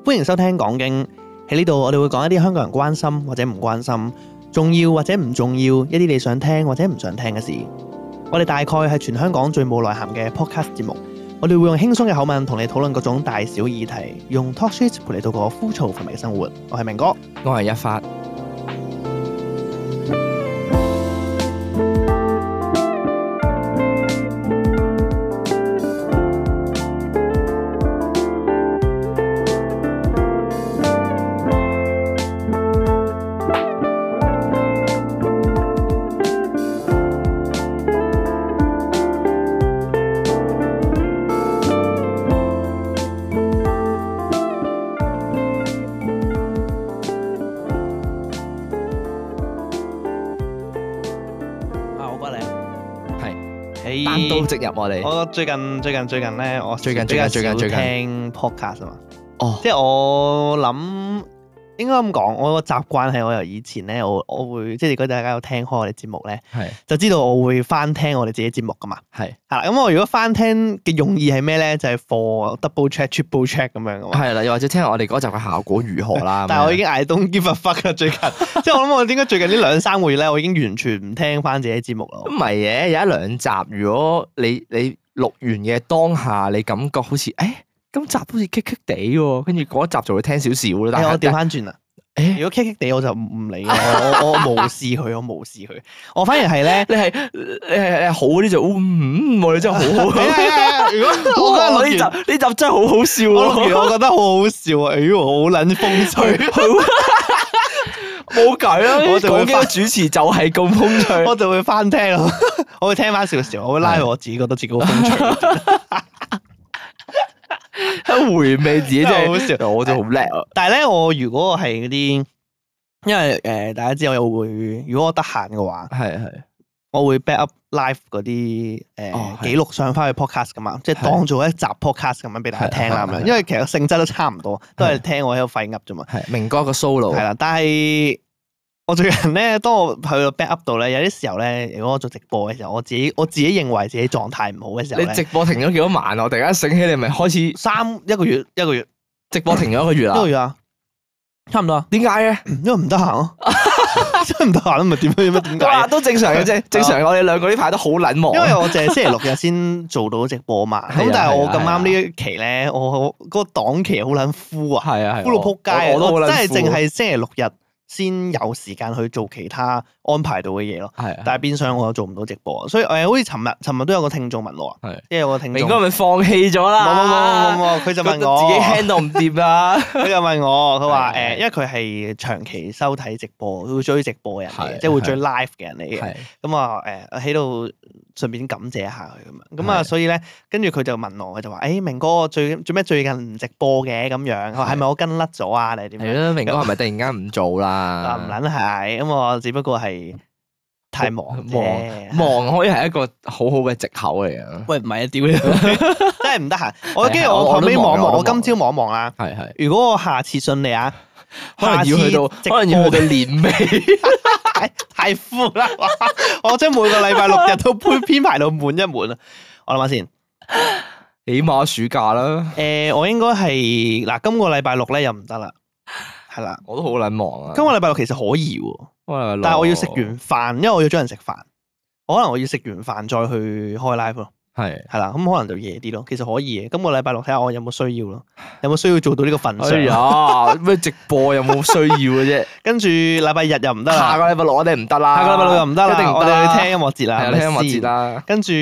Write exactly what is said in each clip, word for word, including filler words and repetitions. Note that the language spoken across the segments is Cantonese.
歡迎收聽講經。喺呢度我哋會講一啲香港人關心或者唔關心，重要或者唔重要，一啲你想聽或者唔想聽嘅事。我哋大概係全香港最冇內涵嘅 podcast 節目。我哋會用輕鬆嘅口吻同你討論各種大小議題，用 talk shit 陪你度過枯燥乏味嘅生活。我係明哥，我係一發。單刀直入我哋。我最近最近最近咧，我最近最近最近最近聽 podcast 啊嘛。哦，即係我諗應該咁講，我個習慣係我由以前咧，我我會即係如果大家有聽開我哋節目咧，係就知道我會翻聽我哋自己節目噶嘛。係係啦，咁我如果翻聽嘅用意係咩咧？就係 for double check、triple check 咁樣噶嘛。係啦，又或者聽下我哋嗰集嘅效果如何啦。但係我已經 I don't give a fuck 啦，最近即係我諗我點解最近呢兩三個月咧，我已經完全唔聽翻自己節目啦。唔係嘅，有一兩集，如果你你錄完嘅當下，你感覺好似誒。今集好似棘棘地喎，跟住嗰一集就會聽少少咯。但係我調翻轉啦，誒，如果棘棘地我就唔理啦，我我我無視佢，我無視佢。我反而係咧，你係你係你係好嗰啲就嗯，我哋真係好好。係啊，如果我覺得呢集呢集真係好好笑咯，我我覺得好好笑啊！哎喲，好撚風趣，冇計啦！我就會講嘅主持就係咁風趣，我就會翻聽咯，我會聽翻少少，我會拉我自己覺得自己好風趣。回味自己真係好笑，我就好叻啊！但係咧，我如果我係嗰啲，因為誒大家知我又會，如果我得閒嘅話，係係，我會 back up live 嗰啲誒記錄上翻去 podcast 噶嘛，即係當做一集 podcast 咁樣俾大家聽啦咁樣。因為其實性質都差唔多，都係聽我喺度廢噏啫嘛。係明哥一個 solo 係啦，但係我最近咧，當我去到 back up 度咧，有啲時候咧，如果我做直播嘅時候，我自己我自己認為自己狀態唔好嘅時候咧，你直播停咗幾多晚啊？我突然間醒起，你咪開始三一個月一個月直播停咗一個月啦，一個月啊，差唔多啊。點解嘅？因為唔得閒咯，真係唔得閒咯，咪點樣點解？哇，都正常嘅啫，正常。我哋兩個呢排都好撚忙，因為我淨係星期六日先做到直播嘛。咁但係我咁啱呢一期咧，我嗰個檔期好撚枯啊，係啊，枯到撲街，我都好撚枯，真係淨係星期六日先有時間去做其他安排到嘅嘢咯，係，但係變相我又做唔到直播，所以誒，好似尋日尋日都有個聽眾問我，係，即係有個聽眾，明哥咪放棄咗啦，冇冇冇冇冇，佢就問我自己 handle 唔掂啦，佢就問我，佢話誒，因為佢係長期收睇直播，佢會追直播嘅人嚟嘅，即係會追 live 嘅人嚟嘅，咁啊誒喺度順便感謝下佢咁樣，咁啊所以咧，跟住佢就問我，佢就話誒，明哥最做咩最近唔直播嘅咁樣，佢話係咪我跟甩咗啊？定係點樣？係咯，明哥係咪突然間唔做啦？啊唔撚係，咁我只不過係太忙啫，忙可以係一個好好嘅藉口嚟嘅。喂，唔係啊，屌你，真係唔得閒。我跟住我後尾望一望，我今朝望一望啦。係係。如果我下次順利啊，可能要去到，可能要去到年尾，太太 full 啦！我將每個禮拜六日都編編排到滿一滿啊！我諗下先，起碼暑假啦。誒，我應該係嗱，今個禮拜六咧又唔得啦。係啦，我都好撚忙啊！今個禮拜六其實可以喎，但係我要食完飯，因為我要將人食飯，可能我要食完飯再去開 live 咯。係係啦，咁可能就夜啲咯。其實可以嘅，今個禮拜六睇下我有冇需要咯，有冇需要做到呢個份上。哎呀，咩直播有冇需要嘅啫？跟住禮拜日又唔得啦，下個禮拜六我哋唔得啦，下個禮拜六又唔得啦，一定我哋去聽音樂節啦，係聽音樂節啦。跟住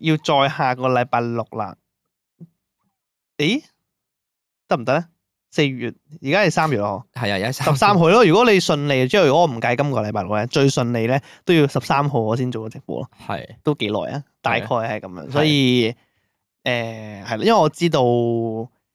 要再下個禮拜六啦。誒，得唔得咧？四月，而家係三月咯，係啊，而家十三號咯。如果你順利，即係如果我唔計今個禮拜六咧，最順利咧都要十三號我先做個直播咯。係，都幾耐啊？大概係咁樣，所以誒係啦，因為我知道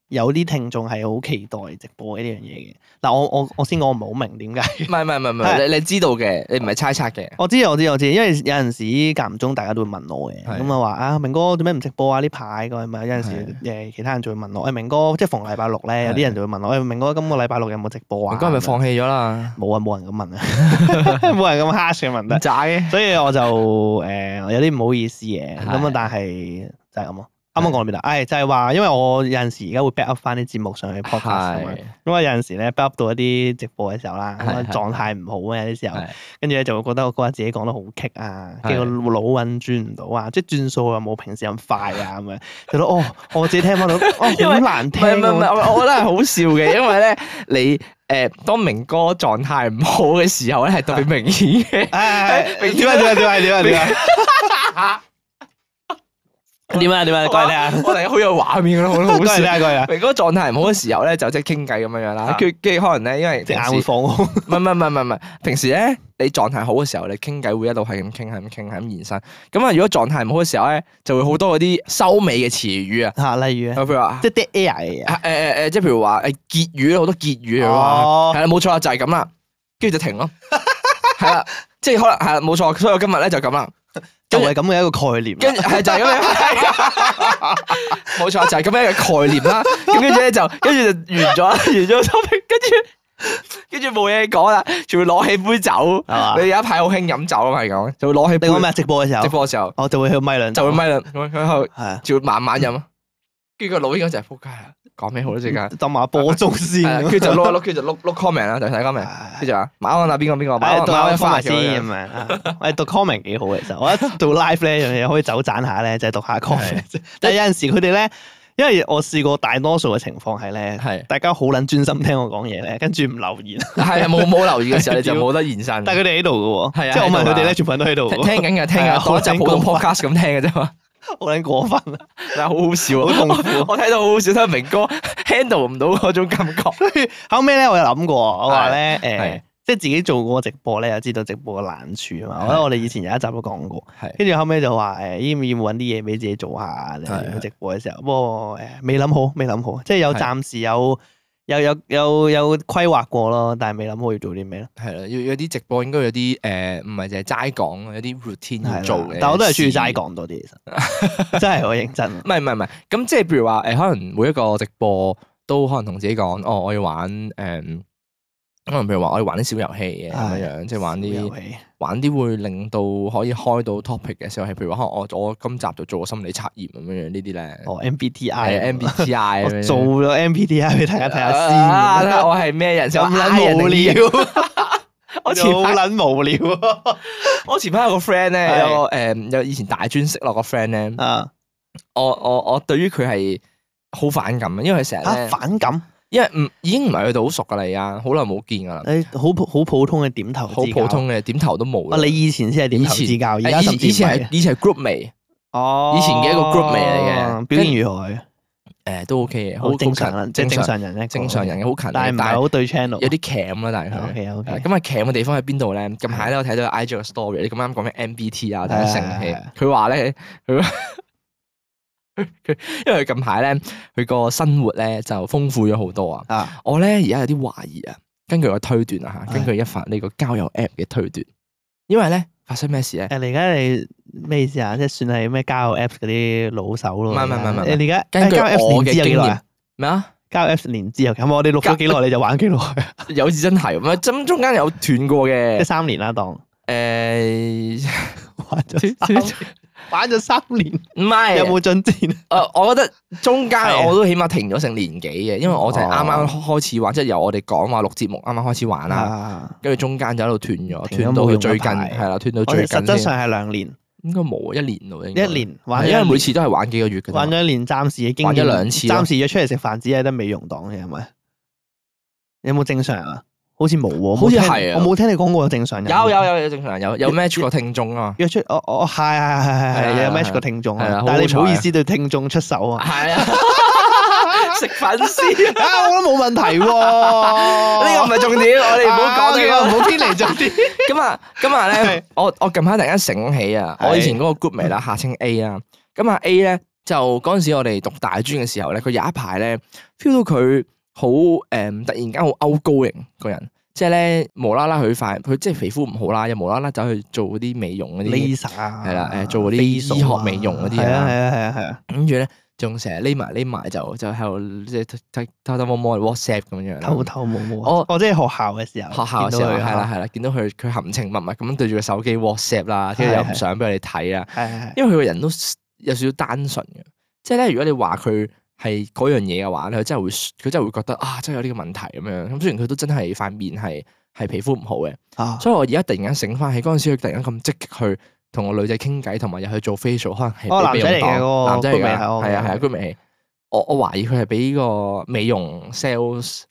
有啲聽眾係好期待直播呢樣嘢嘅。嗱，我我我先講，我唔係好明點解。唔係唔係唔係，你你知道嘅，你唔係猜測嘅。我知我知我知，因為有陣時間唔中大家都會問我嘅，咁啊話啊明哥做咩唔直播啊？呢排咁咪有陣時誒其他人就會問我，誒明哥即係逢禮拜六咧，有啲人就會問我，誒明哥今個禮拜六有冇直播啊？明哥係咪放棄咗啦？冇啊，冇人咁問啊，冇人咁 harsh 嘅問得。渣嘅，所以我就誒有啲唔好意思嘅，咁啊但係就係咁咯。啱啱講到邊度？誒就係話，因為我有陣時而家會 back up 翻啲節目上去 podcast 啊嘛。咁啊有陣時咧 back up 到一啲直播嘅時候啦，咁啊狀態唔好啊有啲時候，跟住咧就會覺得我嗰日自己講得好棘啊，跟住個腦運轉唔到啊，即係轉數又冇平時咁快啊咁樣，覺得哦我自己聽翻到哦好難聽。唔係唔係，我覺得係好笑嘅，因為咧你誒當明哥狀態唔好嘅時候咧係特別明顯嘅。點啊點啊點啊點啊點啊！點啊點啊，講嚟聽下。我哋好有畫面噶咯，好好笑。講嚟聽下，講嚟聽下。明哥狀態唔好嘅時候咧，就即係傾偈咁樣樣啦。跟住跟住可能咧，因為隻眼會放空。唔係唔係唔係唔係，平時咧你狀態好嘅時候，你傾偈會一路係咁傾，係咁傾，係咁延伸。咁啊，如果狀態唔好嘅時候咧，就會好多嗰啲收尾嘅詞語啊。嚇，例如譬如話即係 dead air 嘅嘢。誒誒誒，即係譬如話誒結語好多結語哦。係啦，冇錯啦，就係咁啦。跟住就停咯。係啦，即係可能係啦，冇錯。所以我今日咧就咁啦。就係咁嘅一個概念，跟住係就係咁樣，冇錯就係咁樣嘅概念啦。咁跟住咧就跟住就完咗啦，完咗 topic，跟住跟住冇嘢講啦，仲會攞起杯酒，你有一排好興飲酒啊嘛，係咁，就會攞起杯。你講咩？直播嘅時候，直播嘅時候，我就會去咪兩，就會咪兩，咁喺度，係啊，就會慢慢飲。跟住個腦應該就係撲街啦，講咩好咧？陣間浸下波鐘先，跟住就碌一碌，跟住就碌碌 comment 啦，就睇 comment。跟住話馬安啊，邊個邊個？馬安馬安翻先咁樣。我讀 comment 幾好其實，我一做 live 咧，樣嘢可以走盞下咧，就係讀下 comment。但係有陣時佢哋咧，因為我試過大多數嘅情況係咧，係大家好撚專心聽我講嘢咧，跟住唔留言。係啊，冇冇留言嘅時候你就冇得延伸。但係佢哋喺度嘅喎，係啊，即係我問佢哋咧，全部人都喺度。聽緊嘅，聽緊，當一集普通 podcast 咁聽嘅啫嘛。好撚過分啊！但係好好笑，好痛苦。我睇到好好笑，睇明哥 handle 唔到嗰種感覺。後尾咧，我有諗過，我話咧，誒，即係自己做過直播咧，又知道直播嘅難處啊嘛。我覺得我哋以前有一集都講過，跟住後尾就話，誒，要唔要揾啲嘢俾自己做下？直播嘅時候，不過誒，未諗好，未諗好，即係有暫時有。有有有有規劃過咯，但係未諗好要做啲咩咯。係啦，要有啲直播應該有啲誒，唔係淨係齋講，有啲 routine 要做嘅。但我都係中意齋講多啲，其實真係好認真。唔係唔係唔係，咁即係譬如話誒，可能每一個直播都可能同自己講，哦，我要玩誒。可能譬如話我哋玩啲小遊戲嘅咁樣樣，即係玩啲玩啲會令到可以開到 topic 嘅小遊戲，譬如話可能我我今集就做個心理測驗咁樣樣呢啲咧。哦 M B T I M B T I 我做咗 M B T I 俾大家睇下先。啊，我係咩人？咁撚無聊。我前好撚無聊。我前排有個 friend 咧，有個誒有以前大專識落個 friend 咧。啊。我我我對於佢係好反感啊，因為佢成日咧反感。因為唔已經唔係去到好熟噶啦，而家好耐冇見噶啦。誒，好普好普通嘅點頭，好普通嘅點頭都冇。啊，你以前先係點頭之交，而家以前係以前係 group 味。哦。以前嘅一個 group 味嚟嘅，表現如何？誒，都 OK 嘅，好正常啦，即係正常人咧，正常人嘅好勤力，但係唔係好對 channel，有啲 cam 啦，但係佢。OK OK。咁啊 cam 嘅地方喺邊度咧？近排咧我睇到 I G 個 story，你咁啱講咩 M B T 啊，睇成氣。佢話咧，佢。佢因為佢近排咧，佢個生活咧就豐富咗好多啊！啊我咧而家有啲懷疑啊，根據我推斷啊吓，根據一發呢個交友 app 嘅推斷，因為咧發生咩事咧？誒，你而家你咩意思啊？即係算係咩交友 app 嗰啲老手咯？唔係唔係唔係，你而家根據我嘅經驗咩啊？交友 app 年資又咁，我哋錄咗幾耐你就玩幾耐？有時真係，唔係真中間有斷過嘅，即係三年啦，當誒玩咗。玩咗三年，唔係有冇進展？誒，我覺得中間我都起碼停咗成年幾嘅，因為我就係啱啱開始玩，即係由我哋講話錄節目啱啱開始玩啦，跟住中間就喺度斷咗，斷到最近係啦，斷到最近。實質上係兩年，應該冇一年咯，一年玩，因為每次都係玩幾個月嘅。玩咗一年，暫時嘅經驗，玩咗兩次，暫時約出嚟食飯只係得美容檔嘅，係咪？有冇正常啊？好似冇喎，好似係啊！我冇聽你講過有正常人。有有有有正常人，有有 match 個聽眾啊！約出我我係係係係有 match 個聽眾啊！但係你唔好意思對聽眾出手啊！係啊，食粉絲啊，我都冇問題喎。呢個唔係重點，我哋唔好講呢個，唔好偏離重點。咁啊，今日咧，我我近排突然間醒起啊，我以前嗰個 group 咪啦，下稱 A 啊。咁啊 A 咧就嗰陣時我哋讀大專嘅時候咧，佢有一排咧 feel 到佢。好誒、嗯，突然間好 outgoing 個人，即係咧無啦啦佢塊佢即係皮膚唔好啦，又無啦啦走去做嗰啲美容嗰啲 laser 啊，係啦，誒做嗰啲醫學美容嗰啲啊，係啊係啊係啊係啊，跟住咧仲成日匿埋匿埋就就喺度即係偷偷摸摸 WhatsApp 咁樣樣，偷偷摸摸。我我即係學校嘅時候，學校嘅時候係啦係啦，見到佢佢含情脈脈咁樣對住個手機 WhatsApp 啦，跟住又唔想俾我哋睇啊，因為佢個人都有少少單純嘅。即係咧，如果你話佢係嗰樣嘢嘅話咧，佢真係會佢真係會覺得啊，真係有呢個問題咁樣。咁雖然佢都真係塊面係係皮膚唔好嘅，啊，所以我而家突然間醒翻起嗰陣時，佢突然間咁積極去同個女仔傾偈，同埋又去做 facial，可能係哦俾美容檔男仔嚟嘅嗰個男仔嚟㗎，居美係我係啊係啊，居美。我我懷疑佢係俾個美容 sales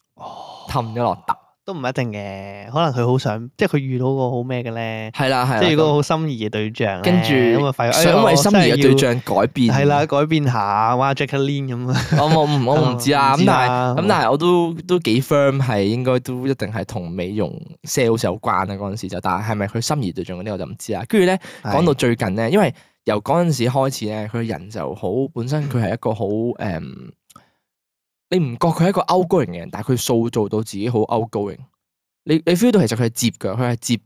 氹咗落搭。都唔一定嘅，可能佢好想，即係佢遇到個好咩嘅咧，係啦係啦，即係如果好心儀嘅對象咧，跟住咁啊發覺想為心儀嘅對象改變，係啦，改變下，哇 Jacqueline 咁啊，我我唔我唔知啊，咁但係咁但係我都都幾 firm 係應該都一定係同美容 sales 有關啊嗰陣時就，但係係咪佢心儀對象嗰啲我就唔知啦。跟住咧講到最近咧，因為由嗰陣時開始咧，佢人就好本身佢係一個好誒、嗯，你唔覺佢係一個 outgoing 嘅人，但係佢塑造到自己好 outgoing。你你 feel 到其實佢係接㗎，佢係接，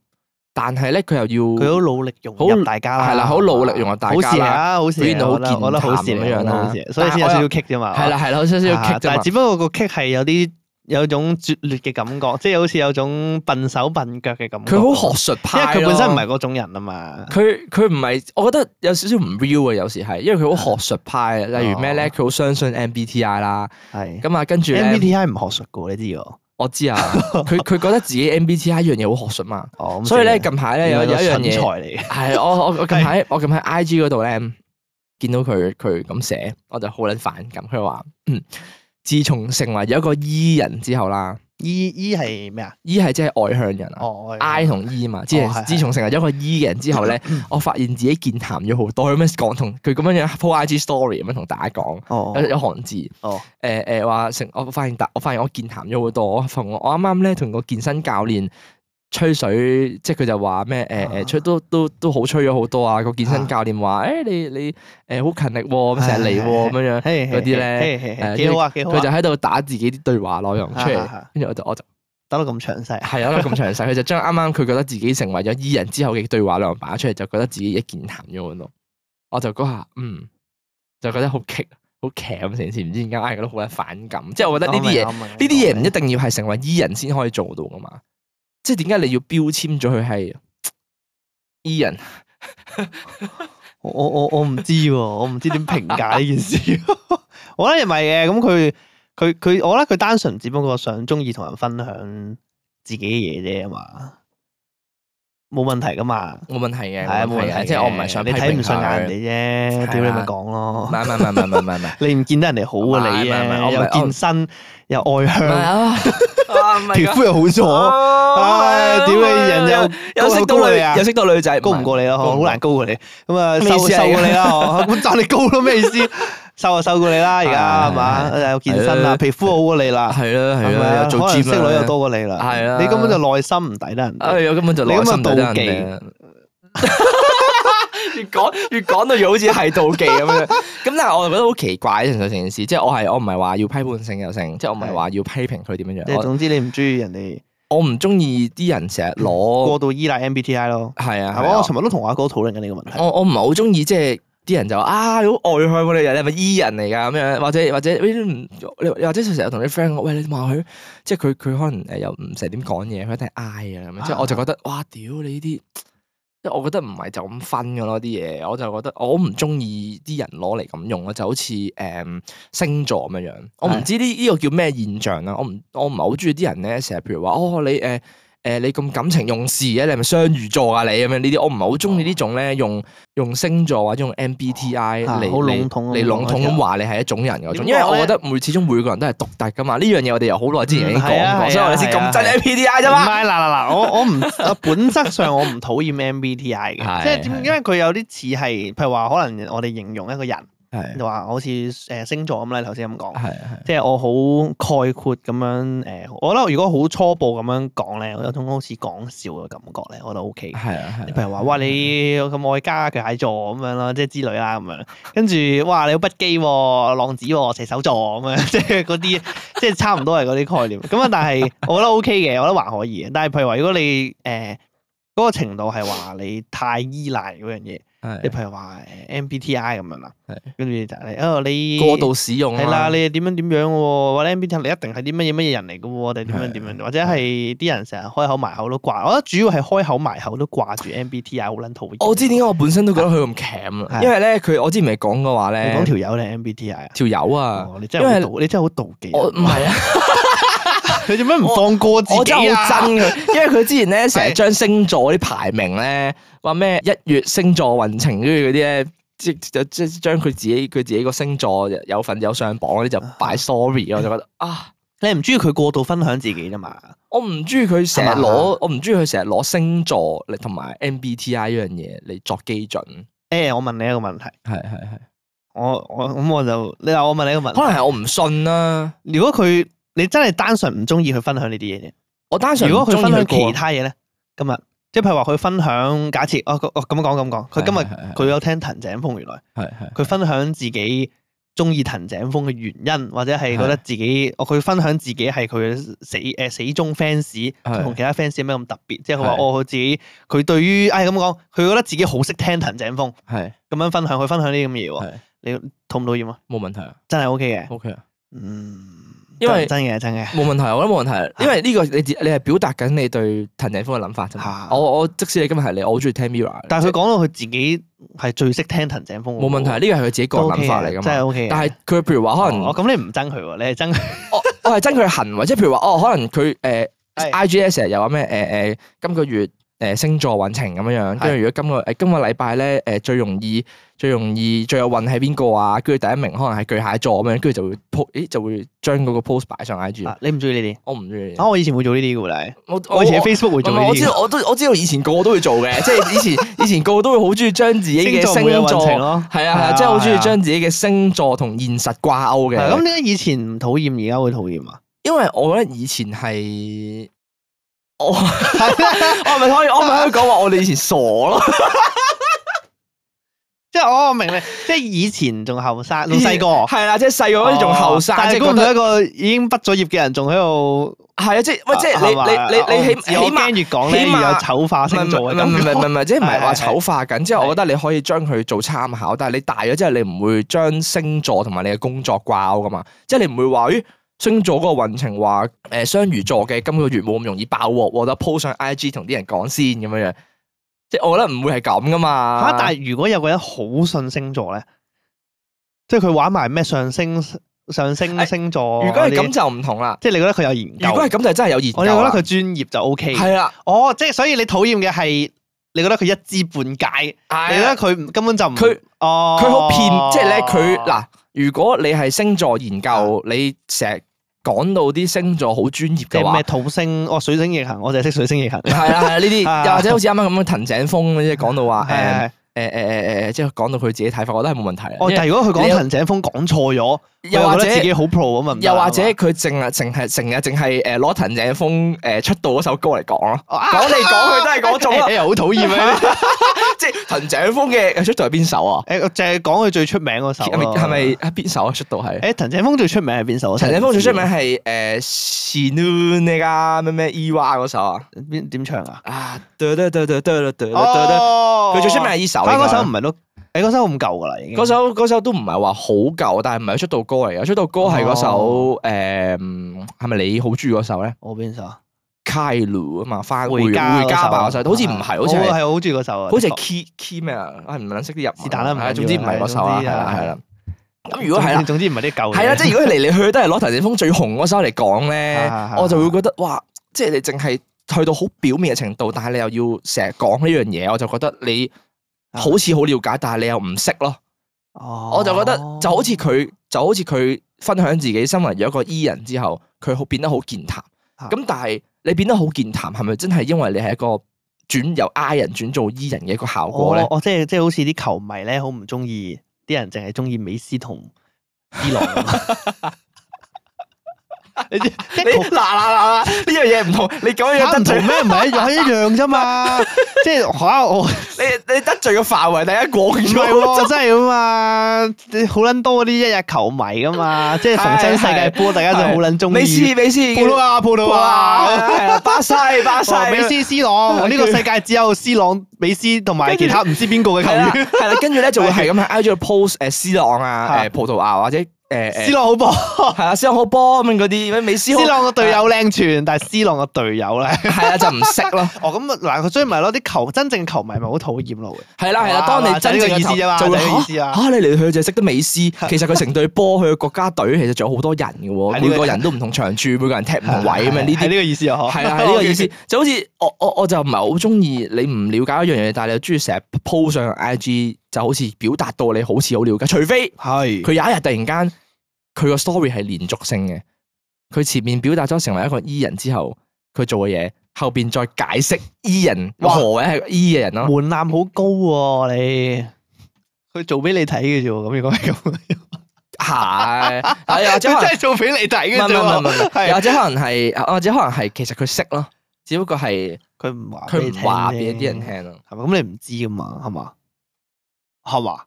但係咧佢又要佢好努力融入大家啦，係啦，好努力融入大家好事啊，好事啊，表現到好健我覺得好事談咁樣啦，所以先有少少 kick 啫嘛，係啦係啦，有少少 kick 啫嘛，但係只不過個 kick 係有啲有種拙劣嘅感覺，即係好似有種笨手笨腳嘅感覺。佢好學術派，因為佢本身唔係嗰種人啊嘛。佢佢唔係，我覺得有少少唔 real 啊，有時係，因為佢好學術派，例如咩咧，佢好相信 M B T I 啦，係咁啊，跟住 M B T I 唔學術噶，你知喎。我知啊，佢佢覺得自己 M B T I 一樣嘢好學術嘛，哦，所以咧近排咧有有一樣嘢嚟，係我我我近排我近排 I G 嗰度咧見到佢佢咁寫，我就好撚反感。佢話嗯，自從成為咗一個 E 人之後啦。E E 係咩啊 ？E 係即係外向人啊。哦 I 同 E 嘛，自自從成為咗一個 E 嘅人之後咧，我發現自己健談咗好多。咁樣講同佢咁樣樣 po I G story 咁樣同大家講，有有行字。哦。誒誒話成，我發現大，我發現我健談咗好多。我同我啱啱咧同個健身教練吹水，即係佢就話咩誒誒吹都都都好吹咗好多啊！個健身教練話誒你你誒好勤力喎，咁成日嚟喎咁樣樣嗰啲咧誒幾好啊幾好啊！佢就喺度打自己啲對話內容出嚟，跟住我就我就打到咁詳細，係啊，咁詳細。佢就將啱啱佢覺得自己成為咗 E 人之後嘅對話內容擺出嚟，就覺得自己一健談咗好多。我就嗰下嗯，就覺得好激好劇咁成件事，唔知點解硬係覺得好有反感。即係我覺得呢啲嘢呢啲嘢唔一定要係成為 E 人先可以做到噶嘛。即係點解你要標籤咗佢係 E 人？我我我我唔知喎，我唔知點評價呢件事。我覺得唔係嘅，咁佢佢佢，我覺得佢單純只不過想中意同人分享自己嘅嘢啫嘛，冇問題噶嘛，冇問題嘅，係啊冇問題，即係我唔係想你睇唔順眼人哋啫，屌你咪講咯。唔係唔係唔係唔係唔係唔係，你唔見得人哋好過你啊？又健身又外向。皮膚又好咗，唉，屌你人又又識到女啊，又識到女仔，高唔過你咯，好難高過你。咁啊，瘦瘦過你啦，咁讚你高咯，咩意思？瘦就瘦過你啦，而家係嘛？又健身啦，皮膚好過你啦，係啦係啦，又做 gym 識女又多過你啦，係啦。你根本就內心唔抵得人，哎呀，根本就內心唔抵得人哋。越講越講到越好似係妒忌咁樣，咁但係我就覺得好奇怪成成件事，即係我係我唔係話要批判性又成，即係我唔係話要批評佢點樣樣。即係總之你唔中意人哋，我唔中意啲人成日攞過度依賴 M B T I 咯。係啊，我尋日都同我阿哥討論緊呢個問題。我我唔係好中意即係啲人就話啊你好外向喎，你人你係咪 E 人嚟㗎咁樣，或者或者唔你或者成日同啲 friend 講喂，你話佢，即係佢佢可能誒又唔成日點講嘢，佢一定係 I 啊咁樣，即係我就覺得哇屌你呢啲。即係我覺得唔係就咁分嘅咯啲嘢，我就覺得我唔中意啲人攞嚟咁用咯，就好似誒、嗯、星座咁樣樣。我唔知呢呢個叫咩現象啦。我唔我唔係好中意啲人咧，成日譬如話哦你誒。呃誒，你咁感情用事嘅，你係咪雙魚座啊？你咁樣呢啲，我唔係好中意呢種咧，用用星座或者用 M B T I 嚟嚟嚟籠統咁話你係一種人嗰種，因為我覺得每始終每個人都係獨特噶嘛。呢樣嘢我哋又好耐之前已經講過，所以我哋先咁憎 M B T I 啫嘛。唔係嗱嗱嗱，我我唔本質上我唔討厭 M B T I 嘅，即係點？因為佢有啲似係，譬如話可能我哋形容一個人。就話好似誒星座咁咧，頭先咁講，即係我好概括咁樣誒，我覺得如果好初步咁樣講咧，有種好似講笑嘅感覺咧，我覺得 O K。係啊係。譬如話，哇你咁愛家巨蟹座咁樣啦，即係之類啦咁樣，跟住哇你好不羈喎，浪子喎，射手座咁樣，即係嗰啲，即係差唔多係嗰啲概念。咁啊，但係我覺得 O K 嘅，我覺得還可以嘅。但係譬如話，如果你誒嗰個程度係話你太依賴嗰樣嘢，你係譬如話誒 M B T I 咁樣啦，係跟住就係哦你過度使用啊係啦，你係點樣點樣喎？或者 M B T I 你一定係啲乜嘢乜嘢人嚟嘅喎？定點樣點樣？或者係啲人成日開口埋口都掛，我覺得主要係開口埋口都掛住 M B T I 好撚討厭。我知點解我本身都覺得佢咁鉗啊，係因為咧佢我之前咪講過話你咧，講條友定 M B T I 啊？條友啊，哦你真係好妒，你真係好妒忌。我唔係啊。佢做咩唔放過自己啊？我真係好憎佢，因為佢之前咧成日將星座啲排名咧，話咩一月星座運程跟住嗰啲咧，即即即將佢自己佢自己個星座有份有上榜嗰啲就擺 story，我就覺得啊，你唔中意佢過度分享自己啫嘛？我唔中意佢成日係嘛攞，我唔中意佢成日攞星座嚟同埋 M B T I 呢樣嘢嚟作基準。誒，我問你一個問題，係係係，我我咁我就你話我問你一個問題，可能係我唔信啦。如果佢你真係單純唔中意佢分享呢啲嘢啫。我單純如果佢分享其其他嘢咧，今日即係譬如話佢分享，假設哦哦咁講咁講，佢今日係係係佢有聽藤井風，原來係係佢分享自己中意藤井風嘅原因，或者係覺得自己哦佢分享自己係佢嘅死誒死忠 fans，同其他 fans 有咩咁特別？即係佢話係哦佢自己佢對於唉咁講，佢覺得自己好識聽藤井風，係咁樣分享佢分享呢啲咁嘅嘢喎，係你討唔討厭啊？冇問題啊真係 OK 嘅， ，OK 啊。嗯，因為真嘅真嘅，冇問題，我覺得冇問題，因為呢個你自你係表達緊你對藤井風嘅諗法啫嘛。嚇我我即使你今日係你，我好中意聽 Mirror，但係佢講到佢自己係最識聽藤井風喎，冇問題，呢個係佢自己個人諗法嚟噶真係嘛。 OK 嘅。但係佢譬如話可能哦，咁你唔憎佢喎，你係憎佢。我我係憎佢嘅行為，即係譬如話哦，可能佢誒係 I G S 成日又話咩誒誒今個月誒星座運程咁樣樣，跟住如果今個誒今個禮拜咧誒最容易最容易最有運係邊個啊？跟住第一名可能係巨蟹座咁樣，跟住就會 po 咦就會將嗰個 post 擺上 I G。啊你唔中意呢啲？我唔中意。啊，我以前會做呢啲嘅喎，你。我我以前喺 Facebook 會做呢啲嘅。唔係我知道，我都我知道以前個個都會做嘅，即係以前以前個個都會好中意將自己嘅星星座每日運座程咯係啊係啊，係啊即係好中意係啊將自己嘅星座同現實掛鈎嘅。係咁點解以前唔討厭，而家會討厭啊？因為我覺得以前係我我係咪可以我係咪可以講話我哋以前傻咯？即係我明你，即係以前仲後生，仲細個。係啦，即係細個嗰陣仲後生，但係估唔即係覺得到一個已經畢咗業嘅人仲喺度。係啊，即係喂，即係係嘛你你你你起起我碼驚越講咧，起碼越有醜化星座唔嘅感覺。係唔係唔係唔係，即係唔係話係係醜化緊，即係我覺得你可以將佢做參考，但係你大咗之後，你唔會將星座同埋你嘅工作掛鈎噶嘛，即係你唔會話咦星座嗰個運程話誒雙魚座嘅今個月冇咁容易爆鑊，我覺得 po 上 I G 同啲人講先咁樣樣，即係我覺得唔會係咁噶嘛。嚇！但係如果有個人好信星座咧，即係佢玩埋咩上升上升星座，如果係咁就唔同啦。即係你覺得佢有研究。如果係咁就真係有研究啦。我哋覺得佢專業就 O K。係啦，哦，即係所以你討厭嘅係你覺得佢一知半解，你覺得佢唔根本就唔佢哦，佢好騙，即係咧佢嗱，如果你係星座研究，你成日講到啲星座好專業嘅話即係咩，土星哦水星逆行，我就係識水星逆行。係啦係啦呢啲，啊又或者好似啱啱咁樣藤井風即係講到話係係誒係誒誒誒誒，即係講到佢自己睇法，我覺得係冇問題。哦，但係如果佢你有講藤井風講錯咗，又或者佢覺得自己好 pro 咁啊，唔得又或者係嘛佢淨係淨係成日淨係誒攞藤井風誒出道嗰首歌嚟講咯，啊講嚟講去都係嗰種咯你，又好討厭啊！即係藤井風嘅出道係邊首啊？誒，我淨係講佢最出名嗰首咯。係咪係咪係邊首啊？出道係？誒，藤井風最出名係邊首？藤井風最出名係誒 Shinu 呢家咩咩 Ewa 嗰首啊？邊點唱啊？啊，得得得得得得得得，哦佢最出名係呢首嚟㗎。但係嗰首唔係都，誒嗰首咁舊噶啦，已經。嗰首嗰首都唔係話好舊，但係唔係佢出道歌嚟嘅。出道歌係嗰首誒，係咪你好中意嗰首咧？我邊首啊？ Kailu 啊嘛，翻回家回家吧嗰首，好似唔係，好似係我係好中意嗰首啊。好似係的確 Key Key 咩啊？啊唔撚識啲日文。是但啦唔緊要係總之唔係嗰首啦，係係啦總之係啦。咁如果係啦，總之唔係啲舊嘢。係啦，即係如果嚟嚟去去都係攞藤井風最紅嗰首嚟講咧係係，係我就會覺得哇，即係你淨係去到好表面嘅程度，但係你又要成日講呢樣嘢，我就覺得你好似好了解，但係你又唔識咯。哦，我就覺得就好似佢就好似佢分享自己身為咗一個 E 人之後，佢好變得好健談。啊咁但係你變得好健談，係咪真係因為你係一個轉由 I 人轉做 E 人嘅一個效果咧？我我即係即係好似啲球迷咧，好唔中意啲人淨係中意美斯同 C 朗咁。你知即你嗱嗱嗱嗱呢樣嘢唔同，你講嘢嚇唔同得罪咩？唔係一樣一樣啫嘛。即係嚇我你你得罪嘅範圍第一廣唔係咗。喎，真係噶嘛。好撚多嗰啲一日球迷噶嘛，即係逢親世界波，大家就好撚中意。美斯美斯，葡萄牙葡萄牙，係啊，巴西巴西，美斯 C 朗，呢個世界只有 C 朗、美斯同埋其他唔知邊個嘅球係啦員。係啦，跟住咧就會係咁喺 I G 度 post 誒 C 朗啊，誒葡萄牙或者誒誒 C 朗好波係啊 C 朗好波咁樣嗰啲，美斯好，C 朗個隊友靚傳，但係 C 朗個隊友咧，係啊就唔識咯。哦咁嗱，佢所以咪咯，啲球真正球迷咪好討厭咯。係啦係啦，當你真正嘅意思啫嘛，就會就係呢個意思啊。嚇你嚟去就係識得美斯，其實佢成隊波佢嘅國家隊其實仲有好多人嘅喎，每個人都唔同長處，每個人踢唔同位咁樣，呢係啲呢個意思啊，嗬。係啦係呢個意思，就好似我我我就唔係好中意你唔了解一樣嘢，但係你又中意成日 po 上 I G，就好似表達到你好似好了解，除非係佢有一日突然間佢個 story 係連續性嘅，佢前面表達咗成為一個 E 人之後，佢做嘅嘢後邊再解釋 E 人哇何謂係個 E 嘅人咯。門檻好高喎，你佢做俾你睇嘅啫喎，咁如果係咁，係，係或者可能佢真係做俾你睇嘅啫唔係唔係唔係唔喎，係，或者可能係，或者可能係其實佢識咯，只不過係佢唔話佢唔話俾俾啲人聽咯。係咪？咁你唔知噶嘛，係嘛？係嘛？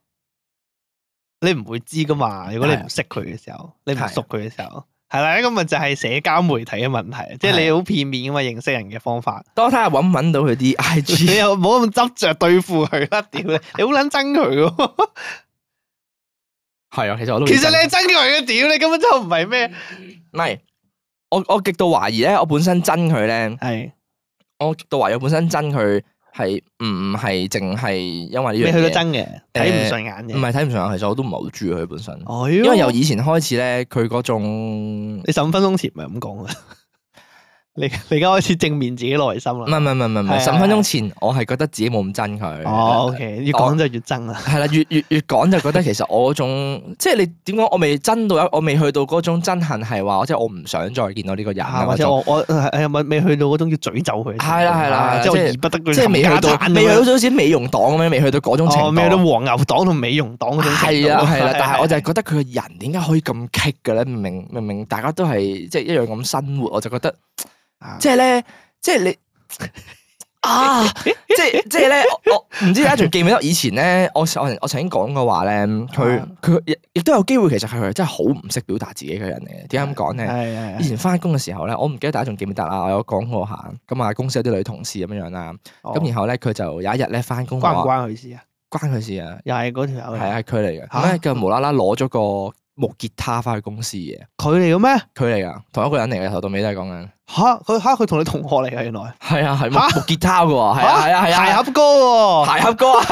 你唔會知噶嘛？如果你唔識佢嘅時候，你唔熟佢嘅時候，係啦，咁咪就係社交媒體嘅問題，即係你好片面噶嘛，認識人嘅方法。多睇下揾唔揾到佢啲 I 你 G，又唔好咁執着對付佢啦，屌你！你好撚憎佢喎。係啊，其實我都其實你係憎佢嘅，屌你根本就唔係咩？唔係，我我極度懷疑咧，我本身憎佢咧，係我極度懷疑我本身憎佢係唔係淨係因為呢樣你去到嘢，憎嘅，睇唔順眼嘅。唔係睇唔上眼，其實我都唔係好中意佢本身，哦，因為由以前開始咧，佢嗰種你十五分鐘前咪咁講啊？你你而家開始正面自己內心啦。唔係唔係唔係唔係，係啊十五分鐘前我係覺得自己冇咁憎佢。哦，OK，越講就越憎啦。係啦，越越越講就覺得其實我嗰種，即係你點講，我未憎到一，我未去到嗰種憎恨係話，即係我唔想再見到呢個人啊，或者我我係咪未去到嗰種要詛咒佢？係啦係啦即係我即係義不得佢即係未去到，冚家鏟未去到咁樣好似美容黨咁樣，未去到嗰種程度。哦，未去到黃牛黨同美容黨嗰種程度。係啊係啦，但係我就係覺得佢個人點解可以咁棘嘅咧？明明明明大家都係即係一樣咁生活，我就覺得即係咧，即係你。啊！即係即係咧，我我唔知大家仲記唔記得以前咧，我我我曾經講過話咧，佢佢亦亦都有機會，其實佢係真係好唔識表達自己嘅人嚟嘅。點解咁講咧？係係以前翻工嘅時候咧，我唔記得大家仲記唔記得啦。我有講過下，咁啊公司有啲女同事咁樣樣啦，咁然後咧佢就有一日咧翻工，關唔關佢事啊？關佢事啊？又係嗰條友嚟，係啊，係佢嚟嘅。咁咧佢無啦啦攞咗個木吉他翻去公司嘅，佢嚟嘅咩？佢嚟噶，同一個人嚟嘅，頭到尾都係講緊。吓佢吓佢同你同學嚟嘅原來。係啊，係木嚇木吉他嘅喎，係啊係啊係啊，鞋盒哥喎，鞋盒哥啊，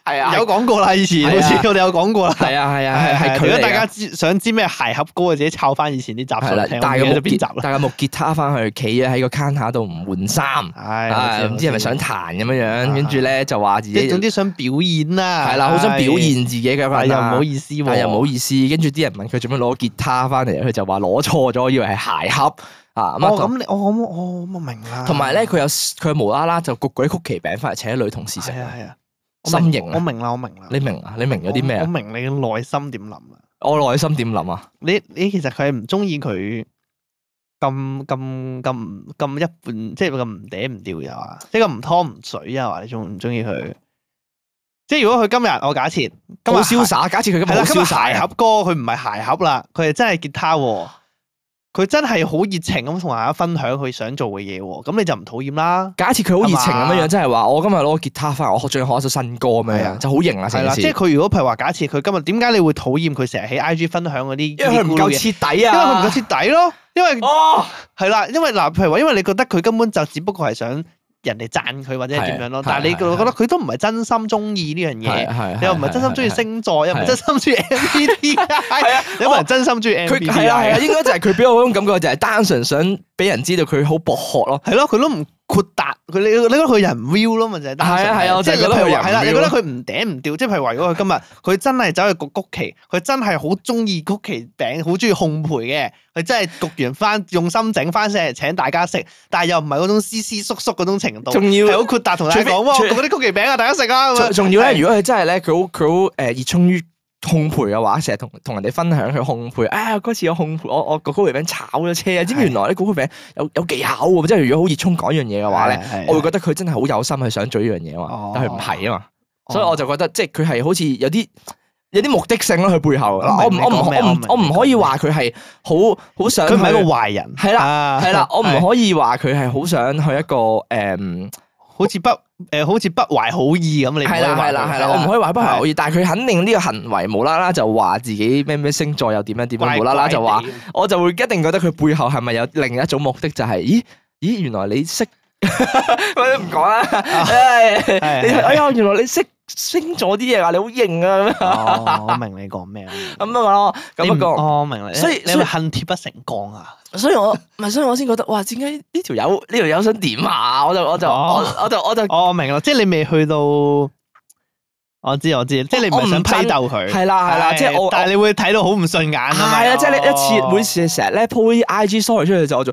係啊，有講過啦，以前係啊好似我哋有講過啦。係啊係啊係係佢嚟㗎如果大家知想知咩鞋盒哥，自己抄翻以前啲集係啦數聽，，帶個木吉我唔記得邊集啦。帶個木吉他翻去，企咗喺個 counter 度唔換衫，唉，啊唔知係咪想彈咁樣樣，跟住咧就話自己即係總之想表演啦。係啦，好想表現自己嘅一個人啦但又唔好意思喎，但又唔好意思，跟住啲人問佢做咩攞吉他翻嚟，佢就話攞錯咗，以為係鞋盒啊。咁哦，啊咁你我我我我明啦。同埋咧，佢有佢無啦啦就焗嗰啲曲奇餅翻嚟請啲女同事食，係啊係啊，我明心形啊！我明啦，我明啦。你明啊？你明咗啲咩啊？我明你嘅內心點諗啦。我內心點諗啊？你你其實佢係唔中意佢咁咁咁咁一半，即係咁唔嗲唔吊又啊，即係咁唔湯唔水啊，話你中唔中意佢？即係如果佢今日我假設今日好瀟灑，假設佢今日好係啦，今日瀟灑鞋盒哥佢唔係鞋盒啦，佢係真係吉他喎。佢真係好熱情咁同大家分享佢想做嘅嘢喎，咁你就唔討厭啦。假設佢好熱情咁樣樣，係嘛即係話我今日攞個吉他翻嚟，我學仲要學一首新歌咁樣樣，係啊就好型啦係啦，成件事。即係佢如果譬如話假設佢今日點解你會討厭佢成日喺 I G 分享嗰啲？因為佢唔夠徹底因為佢唔啊！夠徹底咯。因為哦，係啦，因為嗱，譬如話，因為你覺得佢根本就只不過係想人哋讚佢或者係點樣咯，係但係你係係覺得佢都唔係真心中意呢樣嘢，係你又唔係真心中意星座，又唔係真心中意 M B T I，係啊，有冇人真心中意 M 佢 B 係 T 啊係啊， I？應該就係佢俾我嗰種感覺，就係單純想俾人知道佢好博學咯。係咯，佢都唔豁達，佢你你覺得佢人唔 real 咯嘛，就係單純係啊係啊我即係就係覺得佢人唔譬如話係啦，你 real 覺得佢唔嗲唔吊，即係譬如話，如果佢今日佢真係走去焗曲奇，佢真係好中意曲奇餅，好中意烘焙嘅，佢真係焗完翻用心整翻上嚟請大家食，但係又唔係嗰種斯斯縮縮嗰種程度，仲要係好豁達同大家講，哇，除非焗嗰啲曲奇餅啊，大家食啊咁樣。仲仲要咧，如果佢真係咧，佢好佢好誒熱衷於烘焙嘅話，成日同同人哋分享佢烘焙，啊嗰次我烘焙，我我個糕餅炒咗車啊！知唔知原來咧糕餅有有技巧喎？即係如果好熱衷講一樣嘢嘅話咧，我會覺得佢真係好有心去想做呢樣嘢啊嘛，但係佢唔係啊嘛，所以我就覺得即係佢係好似有啲有啲目的性咯，佢背後我唔我唔我唔我唔可以話佢係好好想佢唔係一個壞人，係啦係啦，我唔可以話佢係好想去一個誒。好似不誒，好似不懷好意咁，你係啦係啦係啦，我唔可以話不懷好意，但係佢肯定呢個行為無啦啦就話自己咩咩星座又點樣點樣，無啦啦就話，我就會一定覺得佢背後係咪有另一種目的，就係咦咦原來你識，我都唔講啦，哎呀原來你識星座啲嘢啊，你好型啊咁樣。我明你講咩咁啊咯，咁不過我明你，所以你係咪恨鐵不成鋼啊？所以我唔係，所以我先覺得，哇！點解呢條友呢條友想點啊？我就我就我我就我就我明啦，即係你未去到，我知我知，即係你唔係想批鬥佢，係啦係啦，即係我，但係你會睇到好唔順眼啊嘛。係啊，即係你一次每次成日咧 po 啲 I G story 出去就我就